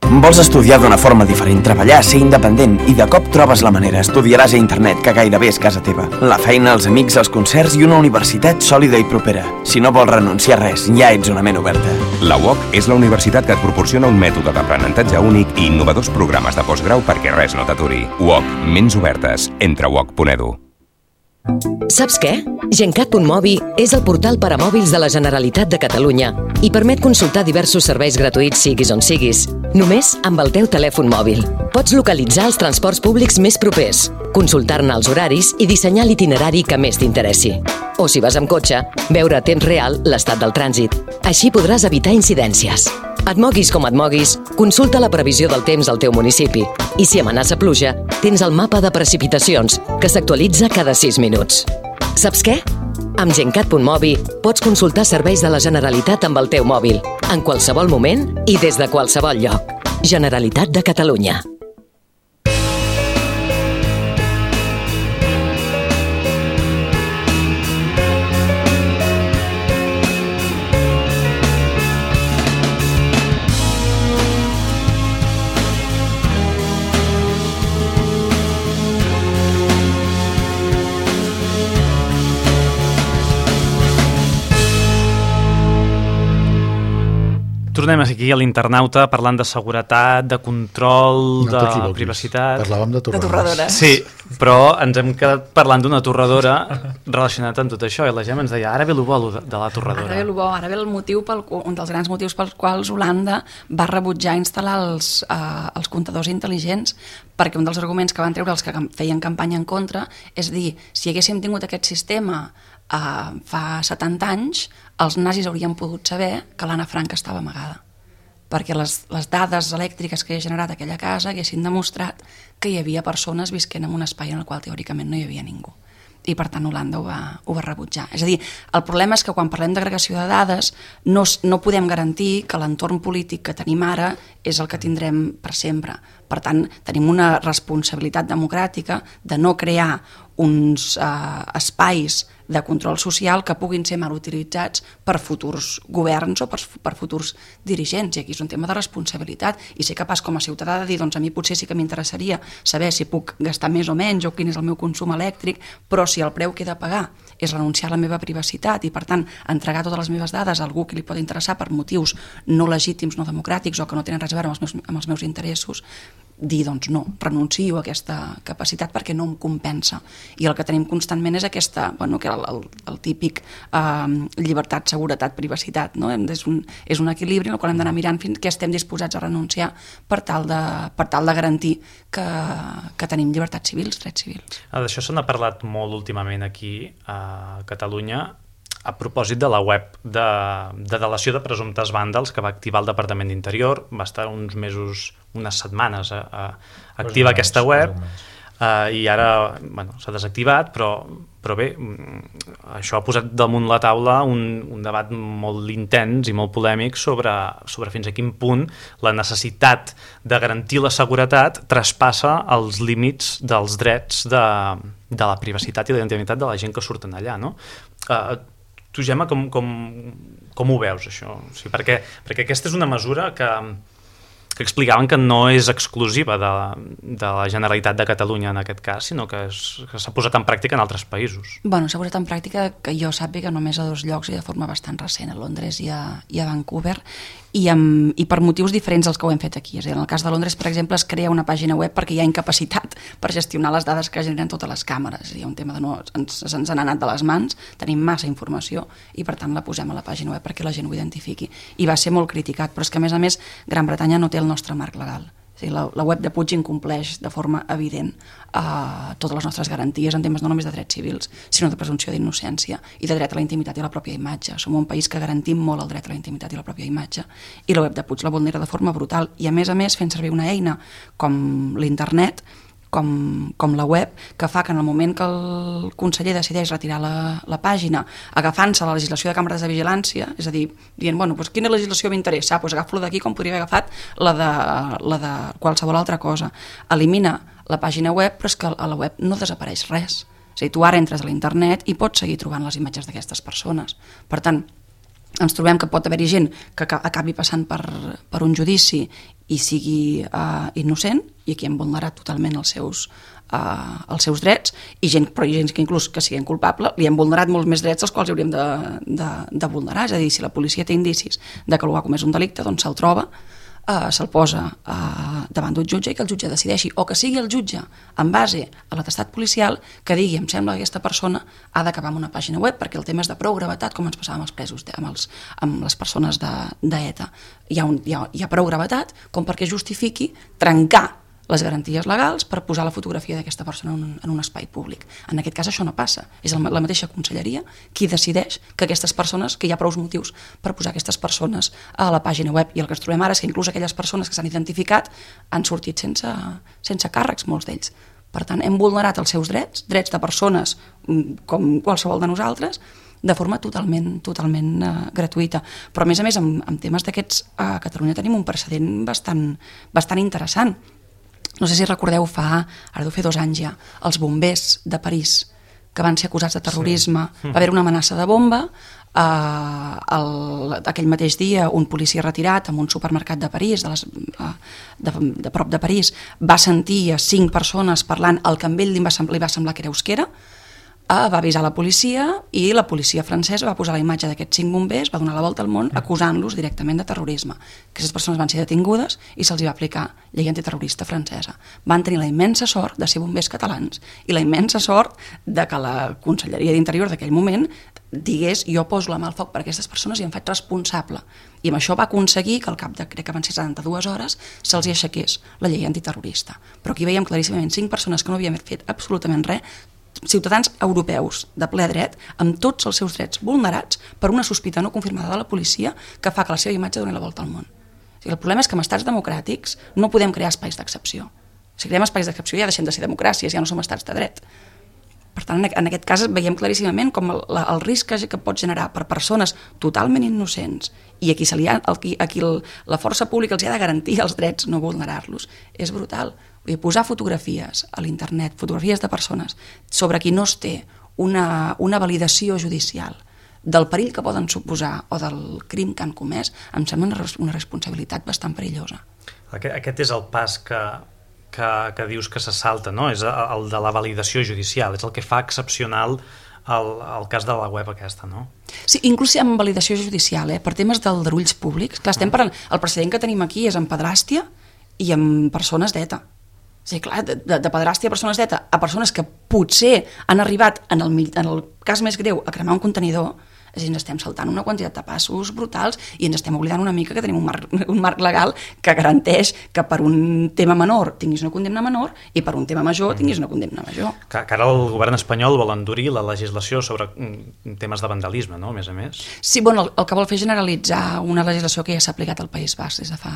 Vols estudiar d'una forma diferent, treballar, ser independent i de cop trobes la manera. Estudiaràs a internet, que gairebé és casa teva. La feina, els amics, els concerts i una universitat sòlida i propera. Si no vols renunciar a res, ja ets una ment oberta. La U O C és la universitat que et proporciona un mètode d'aprenentatge únic i innovadors programes de postgrau perquè res no t'aturi. U O C, ments obertes. Entra a u o c punt e d u. Saps què? Gencat punt mobi és el portal per a mòbils de la Generalitat de Catalunya i permet consultar diversos serveis gratuïts siguis on siguis, només amb el teu telèfon mòbil. Pots localitzar els transports públics més propers, consultar-ne els horaris i dissenyar l'itinerari que més t'interessi. O si vas amb cotxe, veure a temps real l'estat del trànsit. Així podràs evitar incidències. Et moguis com et moguis, consulta la previsió del temps al teu municipi i si amenaça pluja, tens el mapa de precipitacions, que s'actualitza cada sis minuts. Saps què? Amb Gencat punt mobi pots consultar serveis de la Generalitat amb el teu mòbil, en qualsevol moment i des de qualsevol lloc. Generalitat de Catalunya. Tornem aquí a l'Internauta parlant de seguretat, de control, no de privacitat... Parlàvem de torradores. De torradores. Sí, però ens hem quedat parlant d'una torradora relacionat amb tot això, i la Gemma ens deia, ara ve el bo de la torradora. Ara ve el bo, ara ve el motiu, pel, un dels grans motius pels quals Holanda va rebutjar instal·lar els, uh, els comptadors intel·ligents, perquè un dels arguments que van treure els que feien campanya en contra és dir, si haguéssim tingut aquest sistema Uh, fa setanta anys, els nazis haurien pogut saber que l'Anna Frank estava amagada, perquè les, les dades elèctriques que havia generat aquella casa haguessin demostrat que hi havia persones visquent en un espai en el qual teòricament no hi havia ningú. I per tant Holanda ho va, ho va rebutjar. És a dir, el problema és que quan parlem d'agregació de dades no, no podem garantir que l'entorn polític que tenim ara és el que tindrem per sempre. Per tant, tenim una responsabilitat democràtica de no crear uns eh, espais de control social que puguin ser mal utilitzats per futurs governs o per, per futurs dirigents. I aquí és un tema de responsabilitat i ser capaç com a ciutadà de dir, doncs a mi potser sí que m'interessaria saber si puc gastar més o menys o quin és el meu consum elèctric, però si el preu que he de pagar és renunciar a la meva privacitat i per tant entregar totes les meves dades a algú que li pot interessar per motius no legítims, no democràtics o que no tenen res a veure amb els meus, amb els meus interessos, dir, doncs no, renuncio a aquesta capacitat perquè no em compensa. I el que tenim constantment és aquesta, bueno, que el, el, el típic eh, llibertat, seguretat, privacitat, no? És un, és un equilibri en el qual hem d'anar mirant fins que estem disposats a renunciar per tal de, per tal de garantir que, que tenim llibertats civils, drets civils. Ah, d'això se n'ha parlat molt últimament aquí a Catalunya, a propòsit de la web de, de delació de presumptes vàndals que va activar el Departament d'Interior. Va estar uns mesos, unes setmanes a, a activa pues aquesta web uh, i ara bueno, s'ha desactivat, però, però bé, això ha posat damunt la taula un, un debat molt intens i molt polèmic sobre, sobre fins a quin punt la necessitat de garantir la seguretat traspassa els límits dels drets de, de la privacitat i la intimitat de la gent que surten allà, no? Uh, Tu, Gemma, com, com, com ho veus, això? O sigui, perquè, perquè aquesta és una mesura que, que explicaven que no és exclusiva de, de la Generalitat de Catalunya en aquest cas, sinó que s'ha posat en pràctica en altres països. Bueno, s'ha posat en pràctica, que jo sàpiga, només a dos llocs i de forma bastant recent, a Londres i a, i a Vancouver, i, amb, i per motius diferents dels que ho hem fet aquí. És a dir, en el cas de Londres, per exemple, es crea una pàgina web perquè hi ha incapacitat per gestionar les dades que generen totes les càmeres. Hi ha un tema de no, ens, ens han anat de les mans, tenim massa informació i per tant la posem a la pàgina web perquè la gent ho identifiqui. I va ser molt criticat, però és que a més a més Gran Bretanya no té el nostre marc legal. És a dir, la, la web de Puig incompleix de forma evident uh, totes les nostres garanties en temes no només de drets civils, sinó de presumpció d'innocència i de dret a la intimitat i a la pròpia imatge. Som un país que garantim molt el dret a la intimitat i la pròpia imatge i la web de Puig la vulnera de forma brutal i a més a més fent servir una eina com l'internet, com, com la web, que fa que en el moment que el conseller decideix retirar la, la pàgina, agafant-se la legislació de càmeres de vigilància, és a dir, dient, bueno, doncs quina legislació m'interessa? Ah, doncs agafo-la d'aquí com podria haver agafat la de, la de qualsevol altra cosa. Elimina la pàgina web, però és que a la web no desapareix res. És a dir, tu ara entres a l'internet i pots seguir trobant les imatges d'aquestes persones. Per tant, ens trobem que pot haver-hi gent que acabi passant per, per un judici i sigui uh, innocent, i aquí hem vulnerat totalment els seus, uh, els seus drets, i gent, però hi ha gent que inclús que siguin culpable, li hem vulnerat molts més drets als quals hauríem de, de, de vulnerar. És a dir, si la policia té indicis de que algú ha comès un delicte, doncs se'l troba, Uh, se'l posa uh, davant d'un jutge i que el jutge decideixi, o que sigui el jutge en base a l'atestat policial que digui, em sembla que aquesta persona ha d'acabar amb una pàgina web perquè el tema és de prou gravetat, com ens passava amb els presos, amb, els, amb les persones d'ETA. Hi ha, un, hi, ha, hi ha prou gravetat com perquè justifiqui trencar les garanties legals per posar la fotografia d'aquesta persona en un, en un espai públic. En aquest cas això no passa. És la mateixa conselleria qui decideix que aquestes persones, que hi ha prou motius per posar aquestes persones a la pàgina web, i el que ens trobem ara és que inclús aquelles persones que s'han identificat han sortit sense, sense càrrecs, molts d'ells. Per tant, hem vulnerat els seus drets, drets de persones com qualsevol de nosaltres, de forma totalment, totalment uh, gratuïta. Però a més a més, amb, amb temes d'aquests, a Catalunya tenim un precedent bastant, bastant interessant. No sé si recordeu, fa, ara deu fer dos anys ja, els bombers de París que van ser acusats de terrorisme. Sí. Va haver una amenaça de bomba, eh, el, aquell mateix dia un policia retirat en un supermercat de París, de, les, eh, de, de prop de París, va sentir a cinc persones parlant el que a ell li va, li va semblar que era euskera, Uh, va avisar la policia i la policia francesa va posar la imatge d'aquests cinc bombers, va donar la volta al món acusant-los directament de terrorisme. Aquestes persones van ser detingudes i se'ls va aplicar llei antiterrorista francesa. Van tenir la immensa sort de ser bombers catalans i la immensa sort de que la Conselleria d'Interior d'aquell moment digués jo poso la mà al foc per aquestes persones i em faig responsable. I amb això va aconseguir que al cap de, crec que van ser setanta-dues hores, se'ls hi aixequés la llei antiterrorista. Però aquí veiem claríssimament cinc persones que no havien fet absolutament res, ciutadans europeus de ple dret, amb tots els seus drets vulnerats per una sospita no confirmada de la policia que fa que la seva imatge doni la volta al món. O sigui, el problema és que en estats democràtics no podem crear espais d'excepció. Si creem espais d'excepció ja deixem de ser democràcies, ja no som estats de dret. Per tant, en aquest cas veiem claríssimament com el, el risc que pot generar per persones totalment innocents i a qui, se li ha, a qui, a qui el, la força pública els ha de garantir els drets, no vulnerar-los, és brutal. Vull dir, posar fotografies a l'internet, fotografies de persones sobre qui no es té una, una validació judicial del perill que poden suposar o del crim que han comès, em sembla una, una responsabilitat bastant perillosa. Aquest, aquest és el pas que, que, que dius que se salta, no? És el de la validació judicial, és el que fa excepcional el, el cas de la web aquesta, no? Sí, inclús amb validació judicial, eh? Per temes d'aldarulls públics. Clar, estem parlant, el precedent que tenim aquí és amb pedràstia i amb persones d'ETA. Sí, clar, de, de pedràstia a persones d'ETA a persones que potser han arribat, en el, en el cas més greu, a cremar un contenidor, és a dir, ens estem saltant una quantitat de passos brutals i ens estem oblidant una mica que tenim un marc, un marc legal que garanteix que per un tema menor tinguis una condemna menor i per un tema major tinguis una condemna major. Que, que ara el govern espanyol vol endurir la legislació sobre temes de vandalisme, no?, a més a més. Sí, bueno, el, el que vol fer és generalitzar una legislació que ja s'ha aplicat al País Basc des de fa,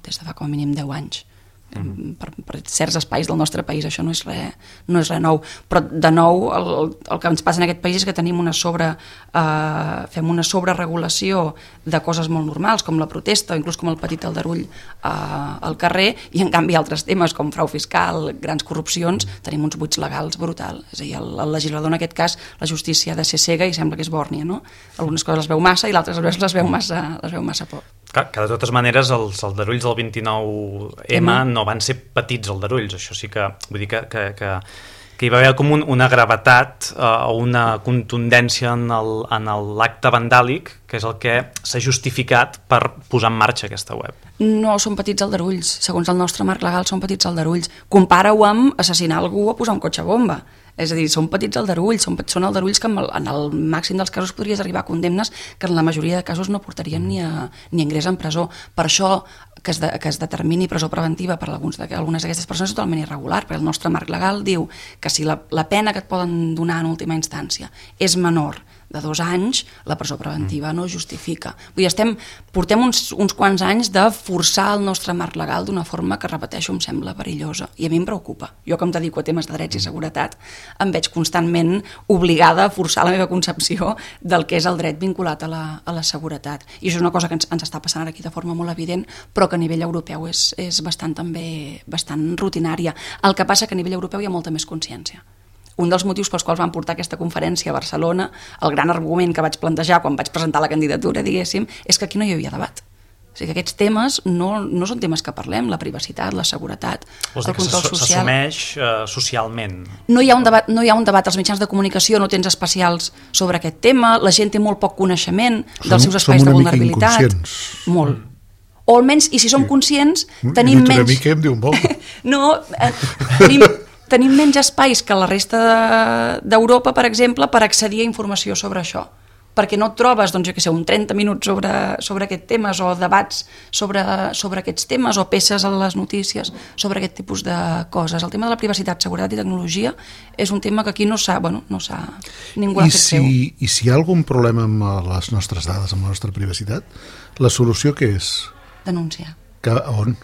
des de fa com a mínim deu anys. Mm. Per, per certs espais del nostre país això no és res, no és res nou, però de nou el, el que ens passa en aquest país és que tenim una sobre eh, fem una sobreregulació de coses molt normals com la protesta o inclús com el petit aldarull eh, al carrer, i en canvi altres temes com frau fiscal, grans corrupcions, tenim uns buits legals brutal. És a dir, el, el legislador en aquest cas, la justícia ha de ser cega i sembla que és bòrnia, no? Algunes coses les veu massa i l'altres les veu massa, les veu massa poc. Que, que de totes maneres els aldarulls del vint-i-nou eme no van ser petits aldarulls, això sí que vull dir que, que, que, que hi va haver com un, una gravetat o uh, una contundència en l'acte vandàlic, que és el que s'ha justificat per posar en marxa aquesta web. No són petits aldarulls, segons el nostre marc legal són petits aldarulls. Compara-ho amb assassinar algú o posar un cotxe bomba. És a dir, són petits aldarulls, són, són aldarulls que en el, en el màxim dels casos podries arribar a condemnes que en la majoria de casos no portarien ni a, ni a ingrés en presó. Per això que es, de, que es determini presó preventiva per alguns de, algunes d'aquestes persones és totalment irregular, perquè el nostre marc legal diu que si la, la pena que et poden donar en última instància és menor de dos anys, la presó preventiva no justifica. Vull dir, estem, portem uns, uns quants anys de forçar el nostre marc legal d'una forma que, repeteixo, em sembla perillosa. I a mi em preocupa. Jo, que em dedico a temes de drets i seguretat, em veig constantment obligada a forçar la meva concepció del que és el dret vinculat a la, a la seguretat. I això és una cosa que ens, ens està passant ara aquí de forma molt evident, però que a nivell europeu és, és bastant, també, bastant rutinària. El que passa que a nivell europeu hi ha molta més consciència. Un dels motius pels quals van portar aquesta conferència a Barcelona, el gran argument que vaig plantejar quan vaig presentar la candidatura, diguéssim, és que aquí no hi havia debat. O sigui que aquests temes no, no són temes que parlem, la privacitat, la seguretat, Vols el control social. S'assumeix uh, socialment. No hi ha un debat, no hi ha un debat als mitjans de comunicació, no tens especials sobre aquest tema, la gent té molt poc coneixement som, dels seus espais de vulnerabilitat. Molt. Mm. O almenys, i si som conscients, tenim menys... Una mica em diu molt. No, eh, tenim... tenim menys espais que la resta d'Europa, per exemple, per accedir a informació sobre això. Perquè no et trobes, doncs, jo què sé, un trenta minuts sobre, sobre aquests temes o debats sobre, sobre aquests temes o peces a les notícies sobre aquest tipus de coses. El tema de la privacitat, seguretat i tecnologia és un tema que aquí no s'ha, bueno, no s'ha, ningú l'ha fet si, seu. I si hi ha algun problema amb les nostres dades, amb la nostra privacitat, la solució què és? Denunciar. Que, on?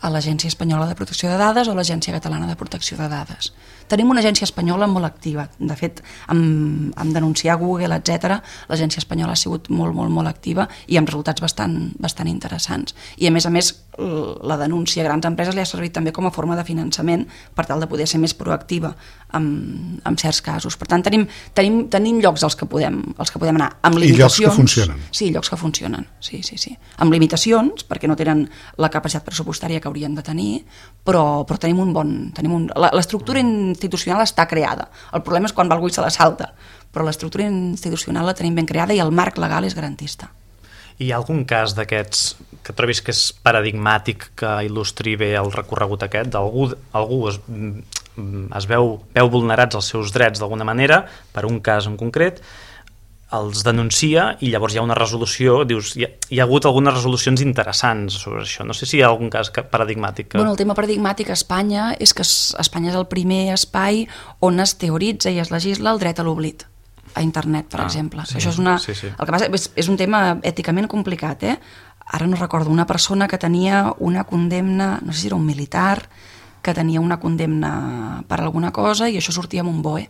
A l'Agència Espanyola de Protecció de Dades o a l'Agència Catalana de Protecció de Dades. Tenim una agència espanyola molt activa. De fet, amb, amb denunciar Google, etcètera, l'agència espanyola ha sigut molt, molt, molt activa i amb resultats bastant, bastant interessants. I, a més a més, la denúncia a grans empreses li ha servit també com a forma de finançament per tal de poder ser més proactiva en, en certs casos. Per tant, tenim, tenim, tenim llocs als que podem, als que podem anar. Amb limitacions, I llocs que funcionen. Sí, llocs que funcionen. Sí, sí, sí. Amb limitacions, perquè no tenen la capacitat pressupostària que haurien de tenir, però, però tenim un bon... Tenim un, l'estructura institucional està creada. El problema és quan va algú i se la salta, però l'estructura institucional la tenim ben creada i el marc legal és garantista. Hi ha algun cas d'aquests que trobis que és paradigmàtic, que il·lustri bé el recorregut aquest? Algú, algú es, es veu, veu vulnerats els seus drets d'alguna manera, per un cas en concret, els denuncia i llavors hi ha una resolució, dius, hi ha, hi ha hagut algunes resolucions interessants sobre això. No sé si hi ha algun cas paradigmàtic. Que... Bueno, el tema paradigmàtic a Espanya és que Espanya és el primer espai on es teoritza i es legisla el dret a l'oblit a internet, per ah, exemple. Sí, Això és una... sí, sí. El que passa és, és un tema èticament complicat, eh? Ara no recordo, una persona que tenia una condemna, no sé si era un militar, que tenia una condemna per alguna cosa i això sortia amb un B O E.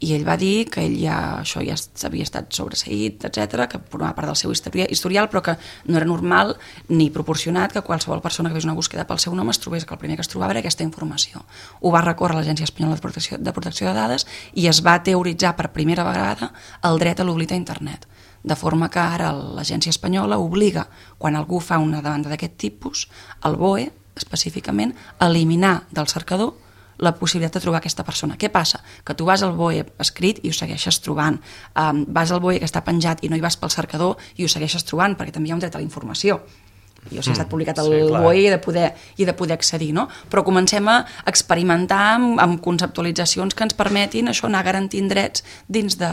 I ell va dir que ell ja, això ja havia estat sobreseït, etcètera, que formava part del seu historial, però que no era normal ni proporcionat que qualsevol persona que fes una búsqueda pel seu nom es trobés que el primer que es trobava era aquesta informació. Ho va recórrer l'Agència Espanyola de Protecció, de Protecció de Dades i es va teoritzar per primera vegada el dret a l'oblit a internet. De forma que ara l'Agència Espanyola obliga, quan algú fa una demanda d'aquest tipus, el B O E, específicament, a eliminar del cercador la possibilitat de trobar aquesta persona. Què passa? Que tu vas al B O E escrit i ho segueixes trobant. Um, vas al B O E que està penjat i no hi vas pel cercador i ho segueixes trobant, perquè també hi ha un dret a la informació. I o sigui, ha estat publicat al sí, B O E i he de poder, i de poder accedir, no? Però comencem a experimentar amb, amb conceptualitzacions que ens permetin això, anar garantint drets dins de,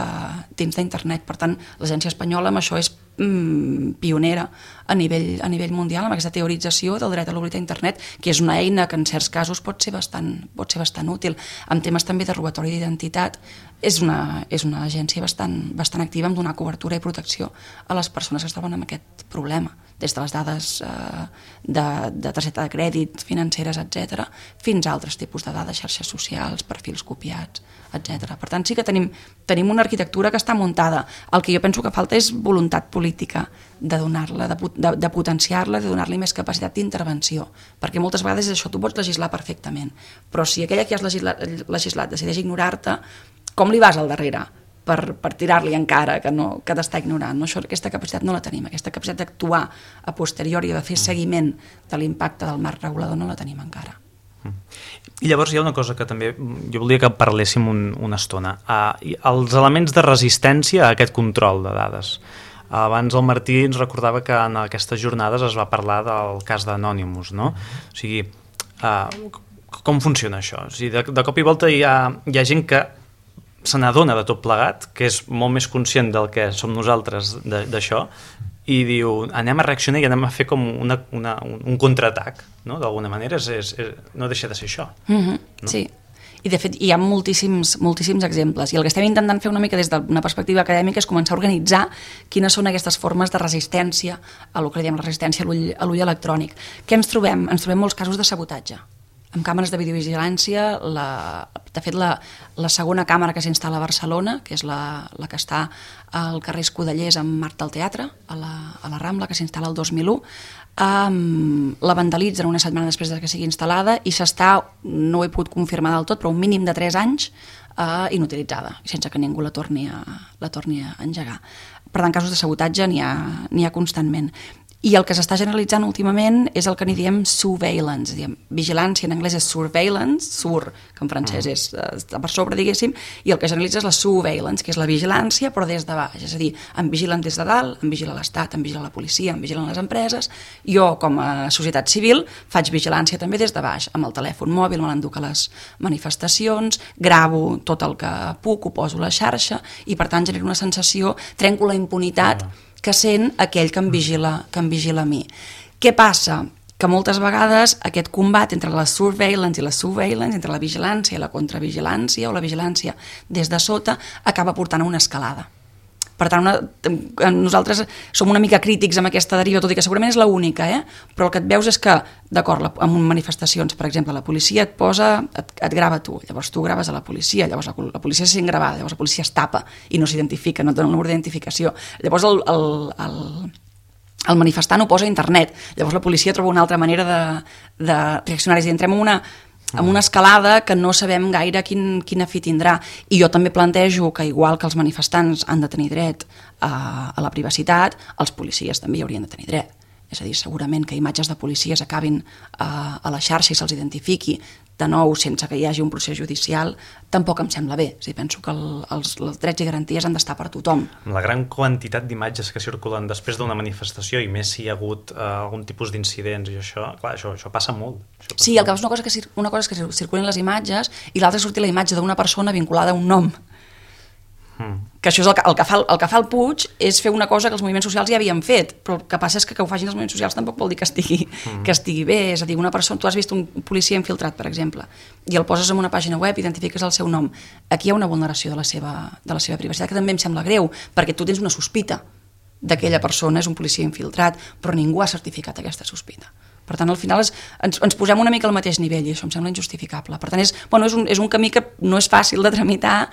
dins d'internet. Per tant, l'Agència Espanyola amb això és mm, pionera a nivell, a nivell mundial amb aquesta teorització del dret a l'oblit a internet, que és una eina que en certs casos pot ser bastant, pot ser bastant útil. En temes també de robatori d'identitat és una, és una agència bastant, bastant activa en donar cobertura i protecció a les persones que es troben amb aquest problema, des de les dades eh, de, de targeta de crèdit, financeres, etcètera, fins a altres tipus de dades, xarxes socials, perfils copiats, etcètera. Per tant, sí que tenim, tenim una arquitectura que està muntada. El que jo penso que falta és voluntat política de donar-la, de, de, de potenciar-la, de donar-li més capacitat d'intervenció, perquè moltes vegades és això, tu pots legislar perfectament, però si aquella que has legislat, legislat decideix ignorar-te, com li vas al darrere? per, per tirar-li encara que, no, que t'està ignorant. No? Això, aquesta capacitat no la tenim, aquesta capacitat d'actuar a posteriori, de fer seguiment de l'impacte del marc regulador no la tenim encara. I llavors hi ha una cosa que també jo volia que parléssim un, una estona. Uh, els elements de resistència a aquest control de dades. Uh, abans el Martí ens recordava que en aquestes jornades es va parlar del cas d'Anonymous, no? O sigui, uh, com funciona això? O sigui, de, de cop i volta hi ha, hi ha gent que se n'adona de tot plegat, que és molt més conscient del que som nosaltres d'això, i diu, anem a reaccionar i anem a fer com una, una, un contraatac, no? D'alguna manera és, és, és, no deixa de ser això. Mm-hmm, no? Sí, i de fet hi ha moltíssims, moltíssims exemples, i el que estem intentant fer una mica des d'una perspectiva acadèmica és començar a organitzar quines són aquestes formes de resistència a el que diem la resistència a l'ull electrònic. Què ens trobem? Ens trobem molts casos de sabotatge. Amb càmeres de videovigilància, la, de fet la, la segona càmera que s'instal·la a Barcelona, que és la, la que està al carrer Escudellers amb Marc del Teatre, a la, a la Rambla, que s'instal·la el dos mil u, um, la vandalitzen una setmana després de que sigui instal·lada i s'està, no ho he pogut confirmar del tot, però un mínim de tres anys uh, inutilitzada, sense que ningú la torni a, la torni a engegar. Per tant, casos de sabotatge n'hi ha, n'hi ha constantment. I el que s'està generalitzant últimament és el que n'hi diem surveillance, diem, vigilància en anglès és surveillance, sur, que en francès és, està per sobre, diguéssim, i el que generalitza és la surveillance, que és la vigilància, però des de baix, és a dir, em vigilen des de dalt, em vigila l'Estat, em vigila la policia, em vigilen les empreses, jo com a societat civil faig vigilància també des de baix, amb el telèfon mòbil me l'enduc a les manifestacions, gravo tot el que puc, ho poso a la xarxa, i per tant genero una sensació, trenco la impunitat que sent aquell que em vigila, que em vigila a mi. Què passa? Que moltes vegades aquest combat entre la surveillance i la surveillance, entre la vigilància i la contravigilància o la vigilància des de sota, acaba portant a una escalada. Per tant, una, nosaltres som una mica crítics amb aquesta deriva, tot i que segurament és l'única, eh? Però el que et veus és que, d'acord, en manifestacions, per exemple, la policia et posa, et, et grava tu, llavors tu graves a la policia, llavors la, la policia se sent gravada, llavors la policia es tapa i no s'identifica, no et dona el número d'identificació. Llavors el, el, el, el manifestant ho posa a internet. Llavors la policia troba una altra manera de, de reaccionar. És a dir, entrem en una, en una escalada que no sabem gaire quin, quina fi tindrà. I jo també plantejo que, igual que els manifestants han de tenir dret a, a la privacitat, els policies també hi haurien de tenir dret. És a dir, segurament que imatges de policies acabin a, a la xarxa i se'ls identifiqui de nou sense que hi hagi un procés judicial, tampoc em sembla bé. És a dir, penso que el, els, els drets i garanties han d'estar per tothom. La gran quantitat d'imatges que circulen després d'una manifestació, i més si hi ha hagut uh, algun tipus d'incidents i això, clar, això, això passa molt. Això passa sí, el que molt. és una cosa que, una cosa és que circulen les imatges i l'altra és sortir la imatge d'una persona vinculada a un nom. Mm. Que això és el que, el, que fa, el que fa el Puig és fer una cosa que els moviments socials ja havien fet, però el que passa és que que ho facin els moviments socials tampoc vol dir que estigui, mm. que estigui bé. És a dir, una persona, tu has vist un policia infiltrat, per exemple, i el poses en una pàgina web, identifiques el seu nom. Aquí hi ha una vulneració de la seva, de la seva privacitat, que també em sembla greu, perquè tu tens una sospita d'aquella persona, és un policia infiltrat, però ningú ha certificat aquesta sospita. Per tant, al final és, ens, ens posem una mica al mateix nivell i això em sembla injustificable. Per tant, és, bueno, és, un, és un camí que no és fàcil de tramitar,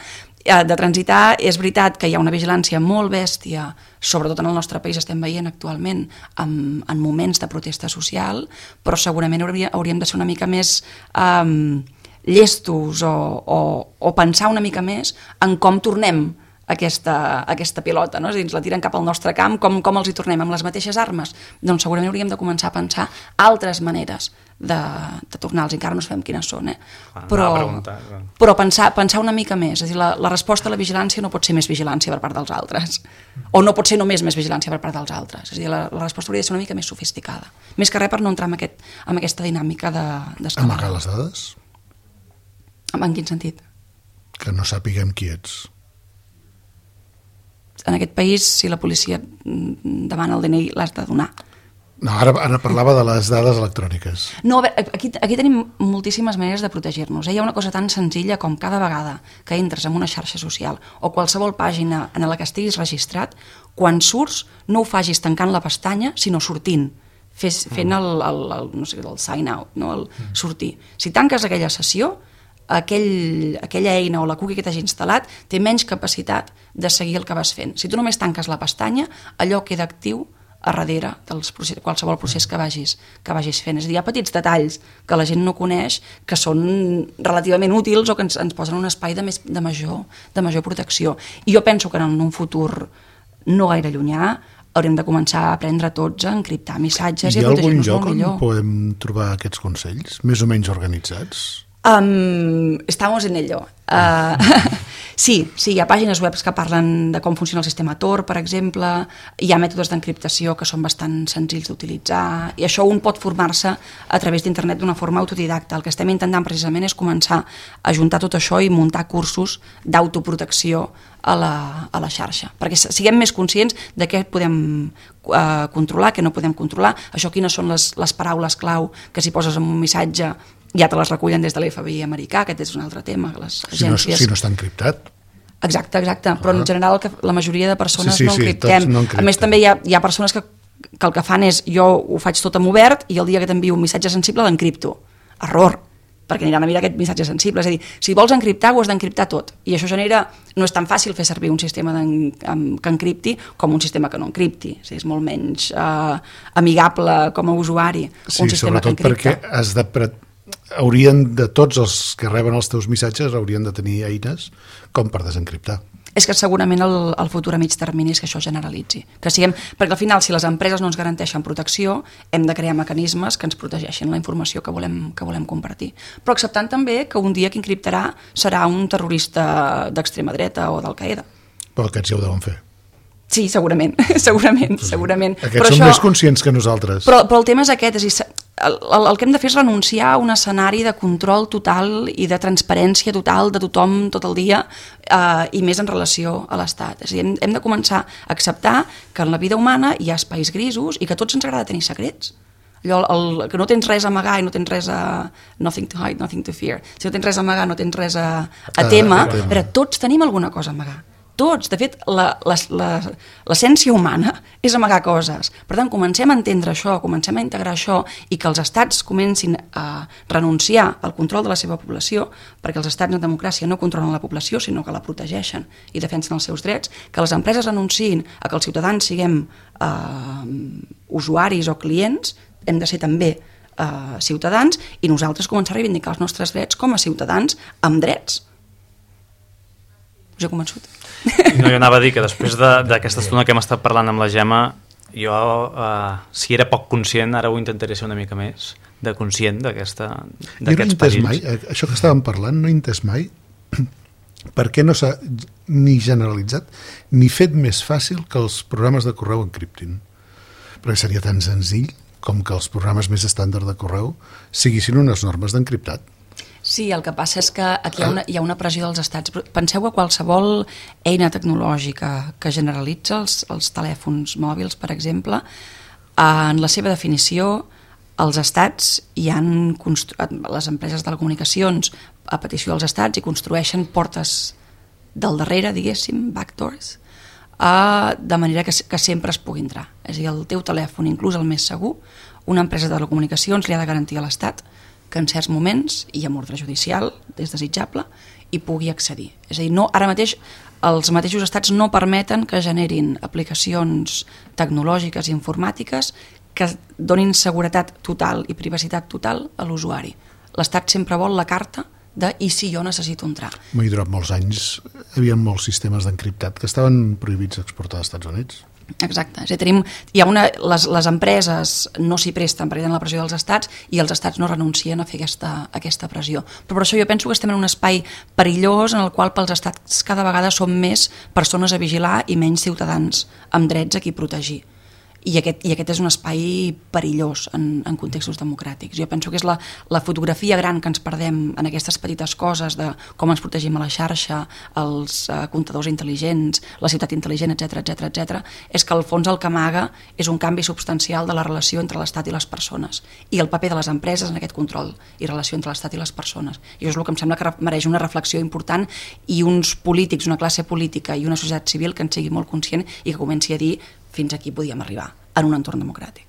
de transitar. És veritat que hi ha una vigilància molt bèstia, sobretot en el nostre país estem veient actualment en, en moments de protesta social, però segurament hauria, hauríem de ser una mica més um, llestos o, o, o pensar una mica més en com tornem aquesta, aquesta pilota, no? És a dir, ens la tiren cap al nostre camp, com, com els hi tornem, amb les mateixes armes? Doncs segurament hauríem de començar a pensar altres maneres de, de tornar-los, encara no sabem quines són, eh? Ah, però, preguntar, però pensar, pensar una mica més. És a dir, la, la resposta a la vigilància no pot ser més vigilància per part dels altres, o no pot ser només més vigilància per part dels altres. És a dir, la, la resposta hauria de ser una mica més sofisticada, més que res per no entrar en, aquest, en aquesta dinàmica de, d'escala. Amagar les dades? En quin sentit? Que no sàpiguem qui ets. En aquest país, si la policia demana el D N I, l'has de donar. No, ara, ara parlava de les dades electròniques. No, a veure, aquí, aquí tenim moltíssimes maneres de protegir-nos. Eh? Hi ha una cosa tan senzilla com cada vegada que entres en una xarxa social o qualsevol pàgina en la que estiguis registrat, quan surts no ho facis tancant la pestanya, sinó sortint, fes, fent el, el, el, no sé, el sign out, no? El sortir. Si tanques aquella sessió, aquell, aquella eina o la cookie que t'hagi instal·lat té menys capacitat de seguir el que vas fent. Si tu només tanques la pestanya, allò queda actiu a darrere de qualsevol procés que vagis, que vagis fent. És a dir, hi ha petits detalls que la gent no coneix que són relativament útils o que ens, ens posen un espai de, més, de, major, de major protecció. I jo penso que en un futur no gaire llunyà haurem de començar a aprendre tots a encriptar missatges i, i a protegir-nos molt millor. Hi ha algun lloc on podem trobar aquests consells, més o menys organitzats? Um, estamos en ello. Uh, sí, sí, hi ha pàgines web que parlen de com funciona el sistema Tor, per exemple, hi ha mètodes d'encriptació que són bastant senzills d'utilitzar, i això un pot formar-se a través d'internet d'una forma autodidacta. El que estem intentant precisament és començar a juntar tot això i muntar cursos d'autoprotecció a la, a la xarxa, perquè siguem més conscients de què podem uh, controlar, què no podem controlar, això quines són les, les paraules clau que si poses en un missatge ja te les recullen des de l'F B I americà, aquest és un altre tema, que les agències... Si no, si no està encriptat. Exacte, exacte, però en general que la majoria de persones sí, sí, no sí, encriptem. no encriptem. A més també hi ha, hi ha persones que, que el que fan és jo ho faig tot en obert i el dia que t'envio un missatge sensible l'encripto. Error, perquè aniran a mirar aquest missatge sensible. És a dir, si vols encriptar ho has d'encriptar tot, i això genera... No és tan fàcil fer servir un sistema que encripti com un sistema que no encripti. O sigui, és molt menys eh, amigable com a usuari sí, un sistema que encripta. Sí, sobretot perquè has de... Pre... haurien de tots els que reben els teus missatges haurien de tenir eines com per desencriptar. És que segurament el, el futur a mig termini és que això generalitzi. Que siguem, perquè al final, si les empreses no ens garanteixen protecció, hem de crear mecanismes que ens protegeixin la informació que volem, que volem compartir. Però acceptant també que un dia qui encriptarà serà un terrorista d'extrema dreta o d'Al-Qaeda. Però aquests ja ho deuen fer. Sí, segurament, segurament, segurament. Aquests però són això, més conscients que nosaltres. Però, però el tema és aquest, és a dir, el, el, el que hem de fer és renunciar a un escenari de control total i de transparència total de tothom tot el dia eh, i més en relació a l'Estat. És a dir, hem, hem de començar a acceptar que en la vida humana hi ha espais grisos i que a tots ens agrada tenir secrets. Allò, el, que no tens res a amagar i no tens res a... Nothing to hide, nothing to fear. Si no tens res a amagar, no tens res a, a tema. Ah, a tema. Però tots tenim alguna cosa a amagar. Tots. De fet, l'essència humana és amagar coses. Per tant, comencem a entendre això, comencem a integrar això i que els estats comencin a renunciar al control de la seva població, perquè els estats en democràcia no controlen la població, sinó que la protegeixen i defensen els seus drets, que les empreses renunciïn a que els ciutadans siguem eh, usuaris o clients, hem de ser també eh, ciutadans, i nosaltres començar a reivindicar els nostres drets com a ciutadans amb drets. Us he convençut? No, jo anava a dir que després d'aquesta estona que hem estat parlant amb la Gemma, jo, eh, si era poc conscient, ara ho intentaré ser una mica més de conscient d'aquests perills. Jo no he entès mai, això que estàvem parlant, no he entès mai per què no s'ha ni generalitzat ni fet més fàcil que els programes de correu encriptin. Perquè seria tan senzill com que els programes més estàndard de correu siguissin unes normes d'encriptat. Sí, el que passa és que aquí hi ha una, hi ha una pressió dels estats. Penseu que qualsevol eina tecnològica que generalitza els, els telèfons mòbils, per exemple, en la seva definició, els estats hi han les empreses de telecomunicacions a petició dels estats i construeixen portes del darrere, diguéssim, backdoors, eh, de manera que, que sempre es pugui entrar. És a dir, el teu telèfon, inclús el més segur, una empresa de telecomunicacions li ha de garantir a l'estat que en certs moments, i amb ordre judicial, és desitjable, hi pugui accedir. És a dir, no, ara mateix els mateixos estats no permeten que generin aplicacions tecnològiques i informàtiques que donin seguretat total i privacitat total a l'usuari. L'estat sempre vol la carta de i si jo necessito entrar. I durant molts anys hi havia molts sistemes d'encriptat que estaven prohibits d'exportar als Estats Units. Exacte. És a dir, tenim, hi ha una, les, les empreses no s'hi presten perquè tenen la pressió dels estats i els estats no renuncien a fer aquesta, aquesta pressió. Però per això jo penso que estem en un espai perillós en el qual pels estats cada vegada som més persones a vigilar i menys ciutadans amb drets a qui protegir. I aquest, i aquest és un espai perillós en, en contextos democràtics. Jo penso que és la, la fotografia gran que ens perdem en aquestes petites coses de com ens protegim a la xarxa, els uh, comptadors intel·ligents, la ciutat intel·ligent, etcètera, etcètera, etcètera, és que al fons el que amaga és un canvi substancial de la relació entre l'Estat i les persones i el paper de les empreses en aquest control i relació entre l'Estat i les persones. I això és el que em sembla que mereix una reflexió important i uns polítics, una classe política i una societat civil que en sigui molt conscient i que comenci a dir fins aquí podíem arribar en un entorn democràtic.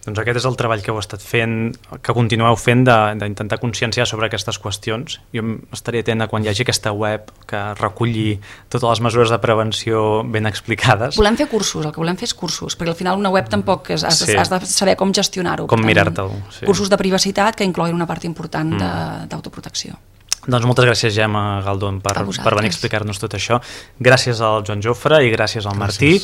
Doncs aquest és el treball que heu estat fent, que continueu fent d'intentar conscienciar sobre aquestes qüestions. Jo estaré atent a quan hi hagi aquesta web que reculli totes les mesures de prevenció ben explicades. Volem fer cursos, el que volem fer és cursos, perquè al final una web tampoc és, has, sí. has de saber com gestionar-ho. Com mirar-te'l. Sí. Cursos de privacitat que incloguin una part important mm. d'autoprotecció. Doncs moltes gràcies, Gemma Galdón, per, per venir a explicar-nos tot això. Gràcies al Joan Jofre i gràcies al Martí.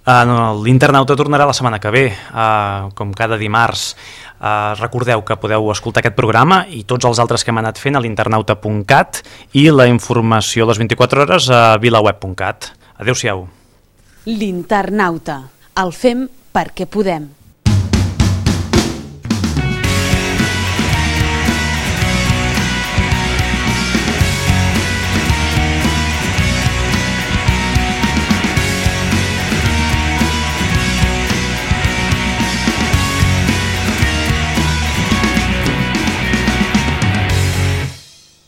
Uh, no, L'Internauta tornarà la setmana que ve, uh, com cada dimarts. Uh, recordeu que podeu escoltar aquest programa i tots els altres que hem anat fent a l'internauta punt cat i la informació a les vint-i-quatre hores a vilaweb punt cat. Adéu-siau. L'Internauta. El fem perquè podem.